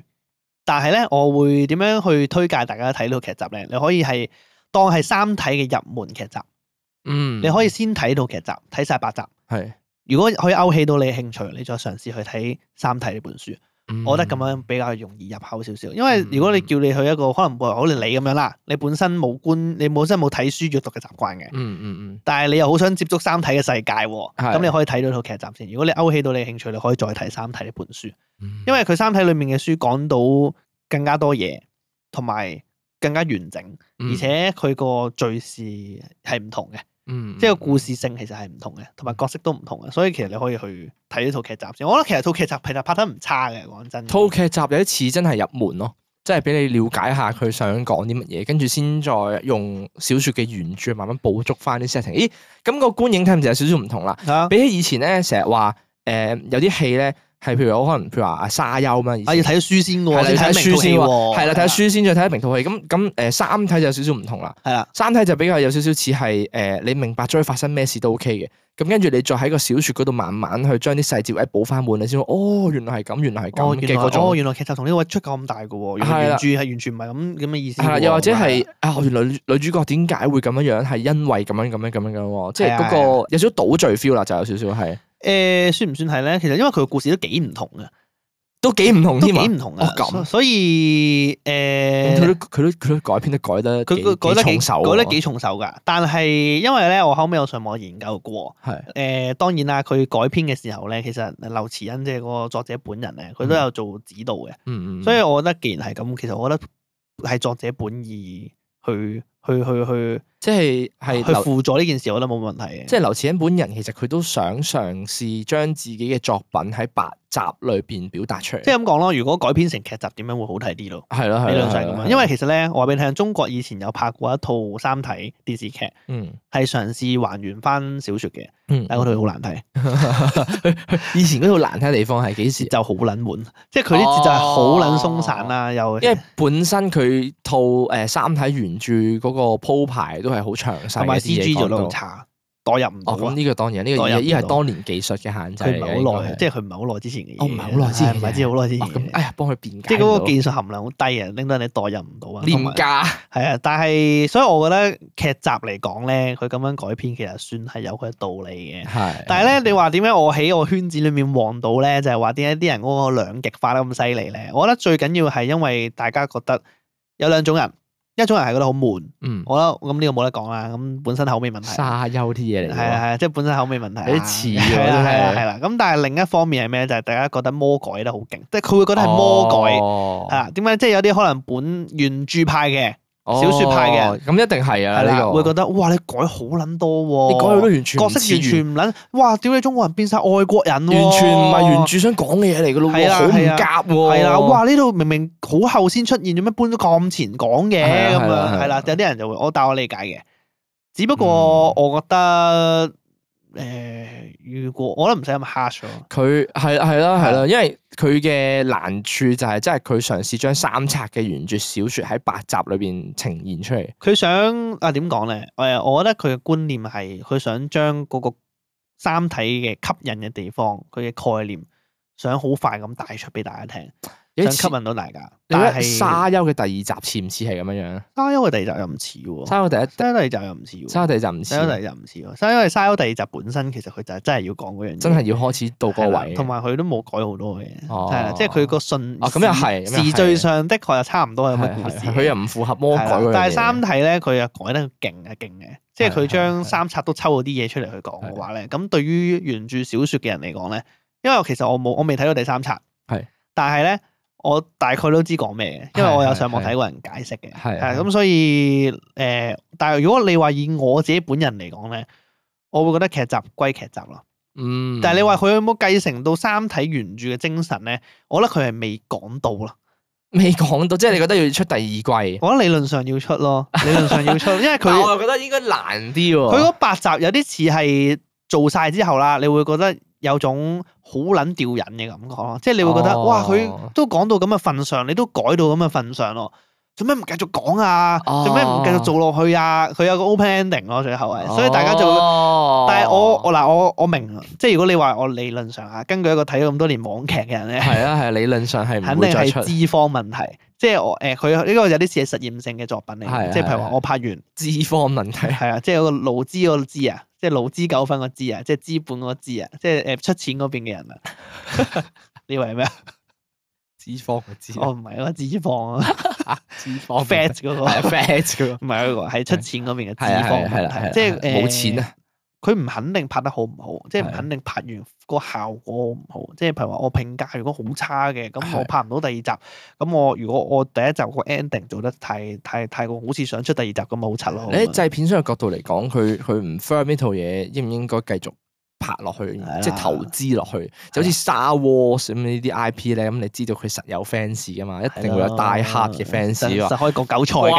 但係咧，我會點樣去推介大家睇呢套劇集咧？你可以係當係三體嘅入門劇集，嗯，你可以先睇套劇集，睇晒八集。係，如果可以勾起到你嘅興趣，你再嘗試去睇三體呢本書。嗯、我覺得咁樣比較容易入口少少。因為如果你叫你去一個可能好似你咁樣啦，你本身冇觀，你本身冇睇書閱讀嘅習慣嘅，嗯嗯嗯，但係你又好想接觸三體嘅世界，咁是你可以睇到套劇集先。如果你勾起到你嘅興趣，你可以再睇三體呢本書，嗯、因為佢三體裡面嘅書講到更加多嘢，同埋更加完整，嗯、而且佢個敘事係唔同嘅，嗯、即係個故事性其實係唔同嘅，同埋角色都唔同嘅，所以其實你可以去睇呢套劇集先。我覺得其實套劇集其實拍得唔差嘅，講真。套劇集有啲似真係入門咯，即係俾你了解下佢想講啲乜嘢，跟住先再用小説嘅原著慢慢捕捉翻啲 setting。咦，咁個觀影體驗就有少少唔同啦。啊、比起以前咧，成日話誒有啲戲咧。係譬如我可能譬如話阿沙丘嘛，啊要睇書先喎，係睇書先喎，係啦睇書先再睇明套戲。咁咁誒三體就有少少唔同啦，係啦三體就比較有少少似係誒你明白咗發生咩事都 OK 嘅。咁跟住你再喺個小説嗰度慢慢去將啲細節位補翻滿，你先哦原來係咁，原來係咁嘅嗰種。哦原來劇集同呢個位出咁大嘅喎，原來原著係完全唔係咁咁嘅意思。係啦，又或者係啊原來女主角點解會咁樣樣？係因為咁樣咁樣咁樣嘅喎，即係嗰個有少少倒敘 feel 啦，就有少少係。誒算唔算係咧？其實因為佢個故事都幾唔同嘅。都幾唔同添啊！都幾唔同啊！咁所以誒，佢都佢都佢都改編得改得佢佢改得幾重手，改得幾重手㗎。但係因為咧，我後尾有上網研究過，係誒當然啦，佢改編嘅時候咧，其實劉慈欣即係嗰個作者本人咧，佢都有做指導嘅。嗯嗯。所以我覺得既然係咁，其實我覺得係作者本意去去去去，即係係去輔助呢件事，我覺得冇問題嘅。即係劉慈欣本人其實佢都想嘗試將自己嘅作品喺八集裏邊表達出嚟。即係咁講咯，如果改編成劇集，點樣會好睇啲咯？係咯係咯，係咁樣。因為其實咧，我話俾你聽，中國以前有拍過一套《三體》電視劇，嗯，係嘗試還原翻小説嘅，嗯，但係嗰套好難睇。以前嗰套難睇嘅地方係幾時？就好撚悶，即係佢啲節奏係好撚鬆散啦，又因為本身佢套誒《三體》原著嗰個鋪排都係好詳細，同埋 C G 做得好差，代入唔到。哦，咁呢個當然，呢個依係當年技術嘅限制。佢唔係好耐，即係佢唔係好耐之前嘅嘢。哦，唔係好耐之前，唔係知好耐之前。咁哎呀，幫佢辯解。即係嗰個技術含量好低啊，令到你代入唔到啊。廉價係啊，但係所以我覺得劇集嚟講咧，佢咁樣改編其實算係有佢嘅道理嘅。係。但係咧，你話點解我喺我圈子裡面旺到咧？就係話點解啲人嗰個兩極化得咁犀利咧？我覺得最緊要係因為大家覺得有兩種人。一種人係覺得好悶，嗯，我覺得咁呢個冇得講啦，咁本身口味問題。沙丘啲嘢嚟，係啊係啊，即係本身口味問題。有啲似嘅，係啦係啦。咁但係另一方面係咩？就係大家覺得魔改得好勁，即係佢會覺得係魔改，係啊？點解？即係有啲可能本原著派嘅小説派嘅，咁一定係啊呢個會覺得哇！你改好撚多喎，你改到完全角色完全唔撚，哇！屌你中國人變晒外國人，完全唔係原著想講嘅嘢嚟㗎咯，好唔夾喎，係啦！哇！呢度明明好後先出現，做咩搬咗咁前講嘅咁樣？係啦，有啲人就會我但我理解嘅，只不過我覺得。誒、呃，如果我覺得唔使咁 harsh 咯，佢係係啦係啦，因為佢嘅難處就係，即係佢嘗試將三冊嘅原著小説喺八集裏邊呈現出嚟。佢想啊點講咧？誒，我覺得佢嘅觀念係佢想將嗰個三體嘅吸引嘅地方，佢嘅概念想好快咁帶出俾大家聽。想吸引到大家，但係沙丘嘅第二集似唔似係咁樣樣？沙丘嘅第二集又唔似喎。沙丘第一、沙丘第二集又唔似喎。沙丘第二集唔似。沙丘第二集唔似喎。因為沙丘第二集本身其實佢就係真係要講嗰樣嘢，真係要開始到嗰個位，同埋佢都冇改好多嘅，係啦，即係佢個順哦咁又係時序上的確又差唔多係咁嘅故事。佢又唔符合魔改嗰樣嘢。但係三體咧，佢又改得勁啊勁嘅，即係佢將三冊都抽咗啲嘢出嚟去講嘅話咧，咁對於原著小説嘅人嚟講咧，因為其實我冇我未睇到第三冊，係，但係咧。我大概都知講咩嘅，因為我有上網睇過人解釋嘅，係咁所以誒、呃，但係如果你話以我自己本人嚟講咧，我會覺得劇集歸劇集咯，嗯，但係你話佢有冇繼承到三體原著嘅精神咧？我覺得佢係未講到咯，未講到，即係你覺得要出第二季？我覺得理論上要出咯，理論上要出，因為佢但我又覺得應該難啲喎。佢嗰八集有啲似係做晒之後啦，你會覺得有種好撚吊癮嘅感覺咯，即係你會覺得、哦、哇，佢都講到咁嘅份上，你都改到咁嘅份上咯。做咩唔繼續講啊？做咩唔繼續做落去啊？佢有個 open ending 咯，最後係，所以大家就會，哦、但係我我嗱我我明，即係如果你話我理論上啊，根據一個睇咗咁多年網劇嘅人咧，係啊係理論上係肯定係資方問題，即係我誒佢呢個有啲似係實驗性嘅作品嚟，係即係譬如話我拍完資方問題，係啊，即係嗰個勞資嗰個資啊，即係勞資糾紛個資啊，即係資本嗰個資啊，即係誒出錢嗰邊嘅人啊，你以為係咩啊？資方嘅資，哦唔係嗰個資方啊，資方 fat 嗰個係 fat 嗰個，唔係嗰個係出錢嗰邊嘅資方問題，即係冇錢啊！佢唔肯定拍得好唔好，即係唔肯定拍完個效果好唔好。即係譬如話我評價如果好差嘅，咁我拍唔到第二集。咁我如果我第一集個 ending 做得太太太過好似想出第二集咁，咪好柒咯。你喺製片商嘅角度嚟講，佢佢唔 firm 呢套嘢，應唔應該繼續拍落去，即係投資落去，就好似 Star Wars 咁呢啲 I P 咧，咁你知道佢實有 fans 噶嘛，一定會有大黑嘅 fans 喎，實可以割韭菜㗎。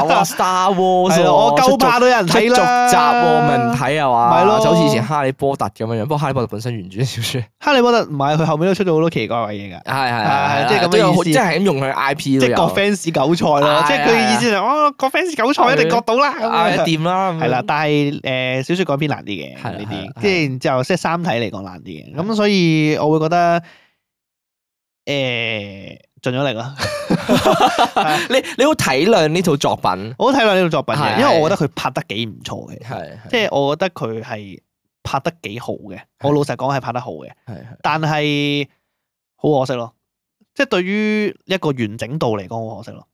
哇 Star Wars 我夠怕都有人睇啦，續集喎，咪唔睇啊嘛，係咯，就好似以前哈利波特咁樣樣，不過哈利波特本身原著小説，哈利波特唔係佢後面都出咗好多奇怪嘅嘢㗎，係係係，即係咁嘅意思，即係咁用佢 I P 即係割 fans 韭菜咯，即係佢嘅意思就哦割 fans 韭菜一定割到啦，咁掂啦，係啦，但係誒小説改編難啲嘅呢啲，即係然之後即係三體嚟講難啲嘅，咁所以我會覺得誒盡咗力啦。你你好體諒呢套作品，我好體諒呢套作品嘅，因為我覺得佢拍得幾唔錯嘅，係即係我覺得佢係拍得幾好嘅。我老實講係拍得好嘅，係但係好可惜咯。即係對於一個完整度嚟講，好可惜咯。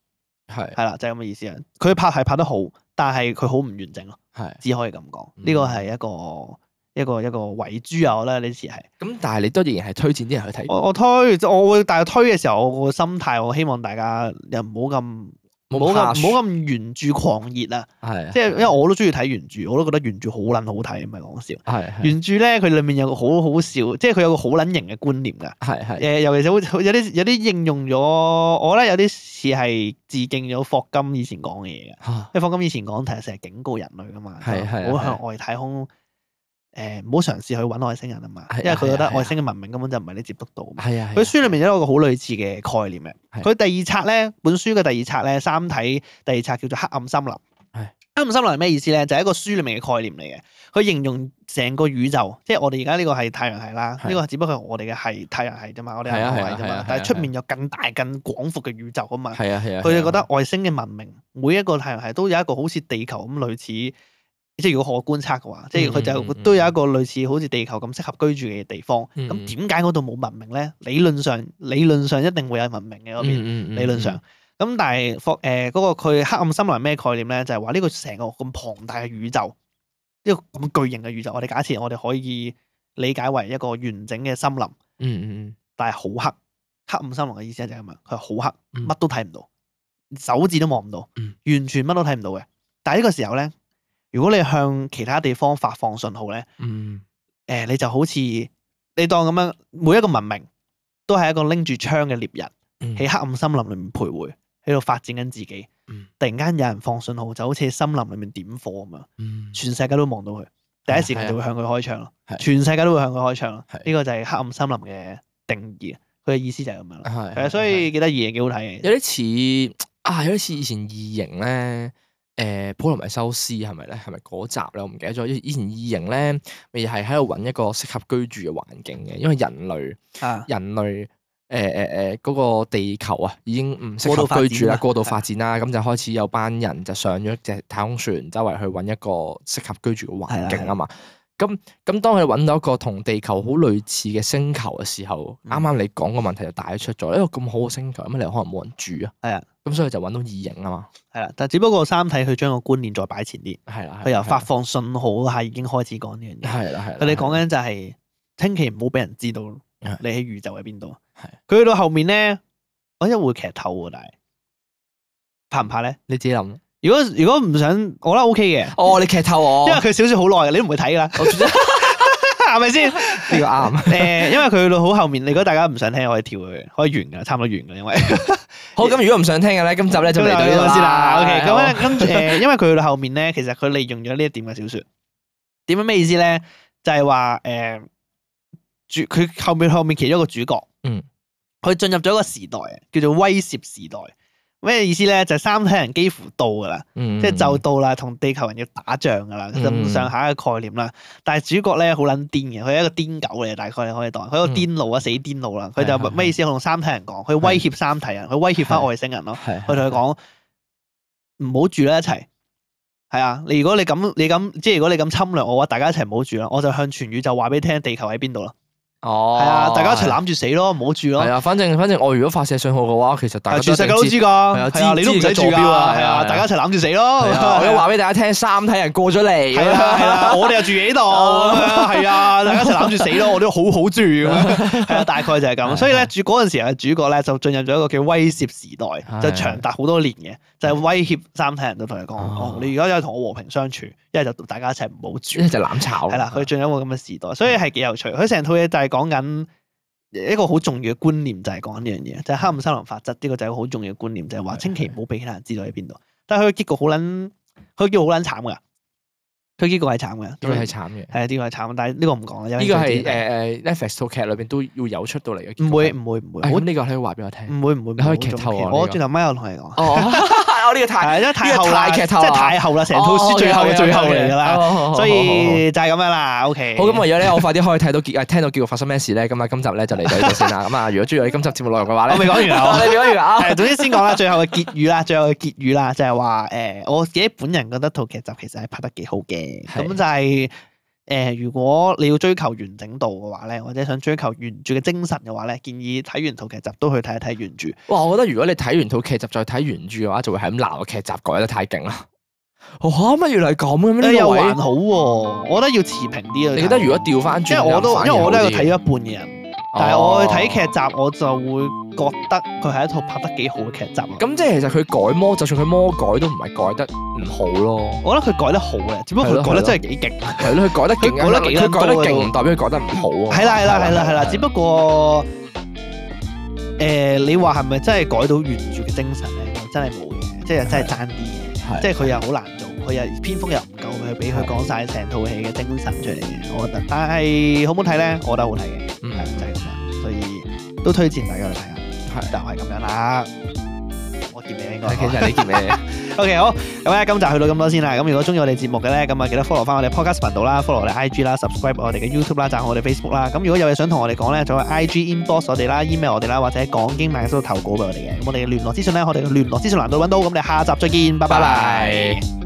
係係啦，就係咁嘅意思啊。佢拍係拍得好，但係佢好唔完整咯。係只可以咁講，呢個係一個。一個一個遺珠啊！我覺得呢次係咁，但係你都仍然係推薦啲人去睇。我我推，我會但係推嘅時候，我個心態，我希望大家又唔好咁唔好咁唔好咁原著狂熱啊！係，即係因為我都中意睇原著，我都覺得原著好撚好睇，唔係講笑。係原著咧，佢裡面有個好好笑，即係佢有個好撚型嘅觀念㗎。係係誒，尤其是好有啲有啲應用咗，我覺得有啲似係致敬咗霍金以前講嘅嘢㗎。因為霍金以前講，其實成日警告人類㗎嘛，係係唔好向外太空。誒唔好嘗試去揾外星人啊嘛，因為佢覺得外星嘅文明根本就唔係你接觸到。係啊，佢書裏面有一個好類似嘅概念嘅。佢第二冊咧，本書嘅第二冊咧，三體第二冊叫做黑暗森林。係黑暗森林係咩意思咧？就係一個書裏面嘅概念嚟嘅。佢形容成個宇宙，即係我哋而家呢個係太陽系啦，呢個只不過係我哋嘅係太陽系啫嘛，我哋係太陽系啫嘛。但係出面有更大更廣闊嘅宇宙啊嘛。係啊係啊。佢哋覺得外星嘅文明，每一個太陽系都有一個好似地球咁類似。即係如果可觀察嘅話，即係佢就都有一個類似好似地球咁適合居住嘅地方。咁點解嗰度冇文明咧？理論上，理論上一定會有文明嘅嗰邊。嗯嗯嗯、理論上，咁但係霍誒嗰個佢黑暗森林咩概念咧？就係話呢個成個咁龐大嘅宇宙，呢個咁巨型嘅宇宙，我哋假設我哋可以理解為一個完整嘅森林。嗯嗯嗯。但係好黑，黑暗森林嘅意思就係咁啊！佢係好黑，乜都睇唔到，手指都望唔到，完全乜都睇唔到嘅。但係呢個時候咧。如果你向其他地方發放信號咧，誒、嗯呃、你就好似你當咁樣，每一個文明都係一個拎住槍嘅獵人，喺、嗯、黑暗森林裏面徘徊，喺度發展緊自己。嗯、突然間有人放信號，就好似喺森林裏面點火咁樣，嗯、全世界都望到佢，第一時間就會向佢開槍咯。嗯、全世界都會向佢開槍咯。呢、嗯、個就係黑暗森林嘅定義，佢嘅意思就係咁樣咯。係、嗯，所以幾得意嘅，幾好睇嘅。有啲似啊，有啲似以前異形咧。誒，普羅米修斯係咪咧？係咪嗰集咧？我唔記得咗。以前異形咧，咪係喺度揾一個適合居住嘅環境嘅，因為人類，啊、人類，誒誒誒，嗰個地球啊，已經唔適合居住啦，過度發展啦，咁就開始有班人就上咗隻太空船，周圍去揾一個適合居住嘅環境啊嘛。咁咁，當佢揾到一個同地球好類似嘅星球嘅時候，啱啱、嗯、你講個問題就帶出咗，一個咁好嘅星球，咁你可能冇人住啊？係啊，咁所以就揾到異形啊嘛。係啦，但只不過三體佢將個觀念再擺前啲，係啦，佢由發放信號係已經開始講呢樣嘢。係啦係，佢哋講緊就係千祈唔好俾人知道你喺宇宙喺邊度。係，佢去到後面咧，我一會劇透喎，但係怕唔怕咧？你自己諗。如果如果唔想，我覺得 O K 嘅。哦，你劇透我，因為佢小說好耐嘅，你都唔會睇噶啦。係咪先？呢個啱。誒，因為佢去到好後面，如果大家唔想聽，可以跳佢，可以完噶，差唔多完噶，因為好咁，如果唔想聽嘅咧，今集咧就嚟到呢度先啦。OK，咁好咧，跟住誒，因為佢去到後面咧，其實佢利用咗呢一點嘅小説。點樣咩意思咧？就係話誒，主佢後面後面其中一個主角，嗯，佢進入咗一個時代，叫做威懾時代。咩意思咧？就係三體人幾乎到噶啦，嗯即係就到啦，同地球人要打仗噶啦，咁上下嘅概念啦。但係主角咧好撚癲嘅，佢係一個癲狗嚟，大概你可以當佢一個癲佬啊，死癲佬啦。佢就咩意思？佢同三體人講，佢威脅三體人，佢威脅翻外星人咯。佢同佢講唔好住啦，一齊。係啊，你如果你咁你咁，即係如果你咁侵略我嘅話，大家一齊唔好住啦。我就向全宇宙話俾你聽，地球喺邊度啦。哦，係啊，大家一齊攬住死咯，唔好住咯。係啊，反正反正我如果發射信號嘅話，其實大家全世界都知㗎。係啊，你都唔使住㗎。係啊，大家一齊攬住死咯。我要話俾大家聽，三體人過咗嚟。係啦係啦，我哋又住喺度。係啊，大家一齊攬住死咯，我都好好住咁樣。係啊，大概就係咁。所以咧，主嗰陣時嘅主角咧就進入咗一個叫威懾時代，就長達好多年嘅，就係威脅三體人都同佢講：哦，你而家又同我和平相處，一係就大家一齊唔好住，一係就攬炒。係啦，佢進入一個咁嘅時代，所以係幾有趣。佢成套嘢就係講緊一個好重要嘅觀念，就係講緊呢樣嘢，就係黑暗森林法則。呢個就係一個好重要嘅觀念，就係話千祈唔好俾其他人知道喺邊度。但係佢嘅結局好撚，佢結局好撚慘噶。佢結局係慘嘅，呢個係慘嘅，係啊，呢個係慘，但係呢個唔講啦。呢個係誒誒 Netflix 套劇裏邊都要有出到嚟嘅。唔會唔會唔會，咁呢個你可以話俾我聽。唔會唔會，你可以劇透啊！我轉頭咪有同你講。哦，我呢個太，因為太後啦，劇透，即係太後啦，成套書最後嘅最後嚟㗎啦。所以就係咁樣啦。OK。好，咁為咗咧，我快啲可以睇到結誒聽到結局發生咩事咧。咁啊，今集咧就嚟到呢度先啦。咁啊，如果中意我哋今集節目內容嘅話咧，我未講完啊，你未講完啊？係，總之先講啦，最後嘅結語啦，最後嘅結語啦，就係話誒，我自己本人覺得套劇集其實係拍得幾好嘅。咁就係。誒、呃，如果你要追求完整度嘅話咧，或者想追求原著嘅精神嘅話咧，建議睇完套劇集都去睇一睇原著。哇！我覺得如果你睇完套劇集再睇原著嘅話，就會係咁鬧個劇集改得太勁啦。嚇、哦！乜原來係咁嘅咩？又還好喎、啊，我覺得要持平啲啊。你覺得如果調翻轉，因為我都因為我都係睇咗一半嘅人。但係我去睇劇集，我就會覺得佢係一套拍得幾好嘅劇集。咁即係其實佢改魔，就算佢魔改都唔係改得唔好咯。我覺得佢改得好嘅，只不過佢改得真係幾勁。係咯，佢改得勁，改得幾佢改得勁唔代表佢改得唔好啊。係啦係啦係啦係啦，只不過誒，你話係咪真係改到原著嘅精神咧？真係冇嘅，即係真係爭啲嘅。即係佢又好難做，佢又篇幅又唔夠，佢俾佢講晒成套戲嘅精神出嚟嘅。我覺得，但係好唔好睇咧？我覺得好睇嘅。嗯，就係咁樣，所以都推薦大家去睇下。係，就係咁樣啦。我結尾應該，其實你結尾。OK， 好，咁咧今集去到咁多先啦。咁如果中意我哋節目嘅咧，咁啊記得 follow 翻我哋 podcast 頻道啦 ，follow 我哋 I G 啦 ，subscribe 我哋嘅 YouTube 啦，讚好我哋 Facebook 啦。咁如果有嘢想同我哋講咧，就喺 I G inbox 我哋啦 ，email 我哋啦，或者講經萬應室投稿俾我哋嘅。咁我哋嘅聯絡資訊咧，我哋嘅聯絡資訊欄度揾到。咁我哋下集再見，拜拜。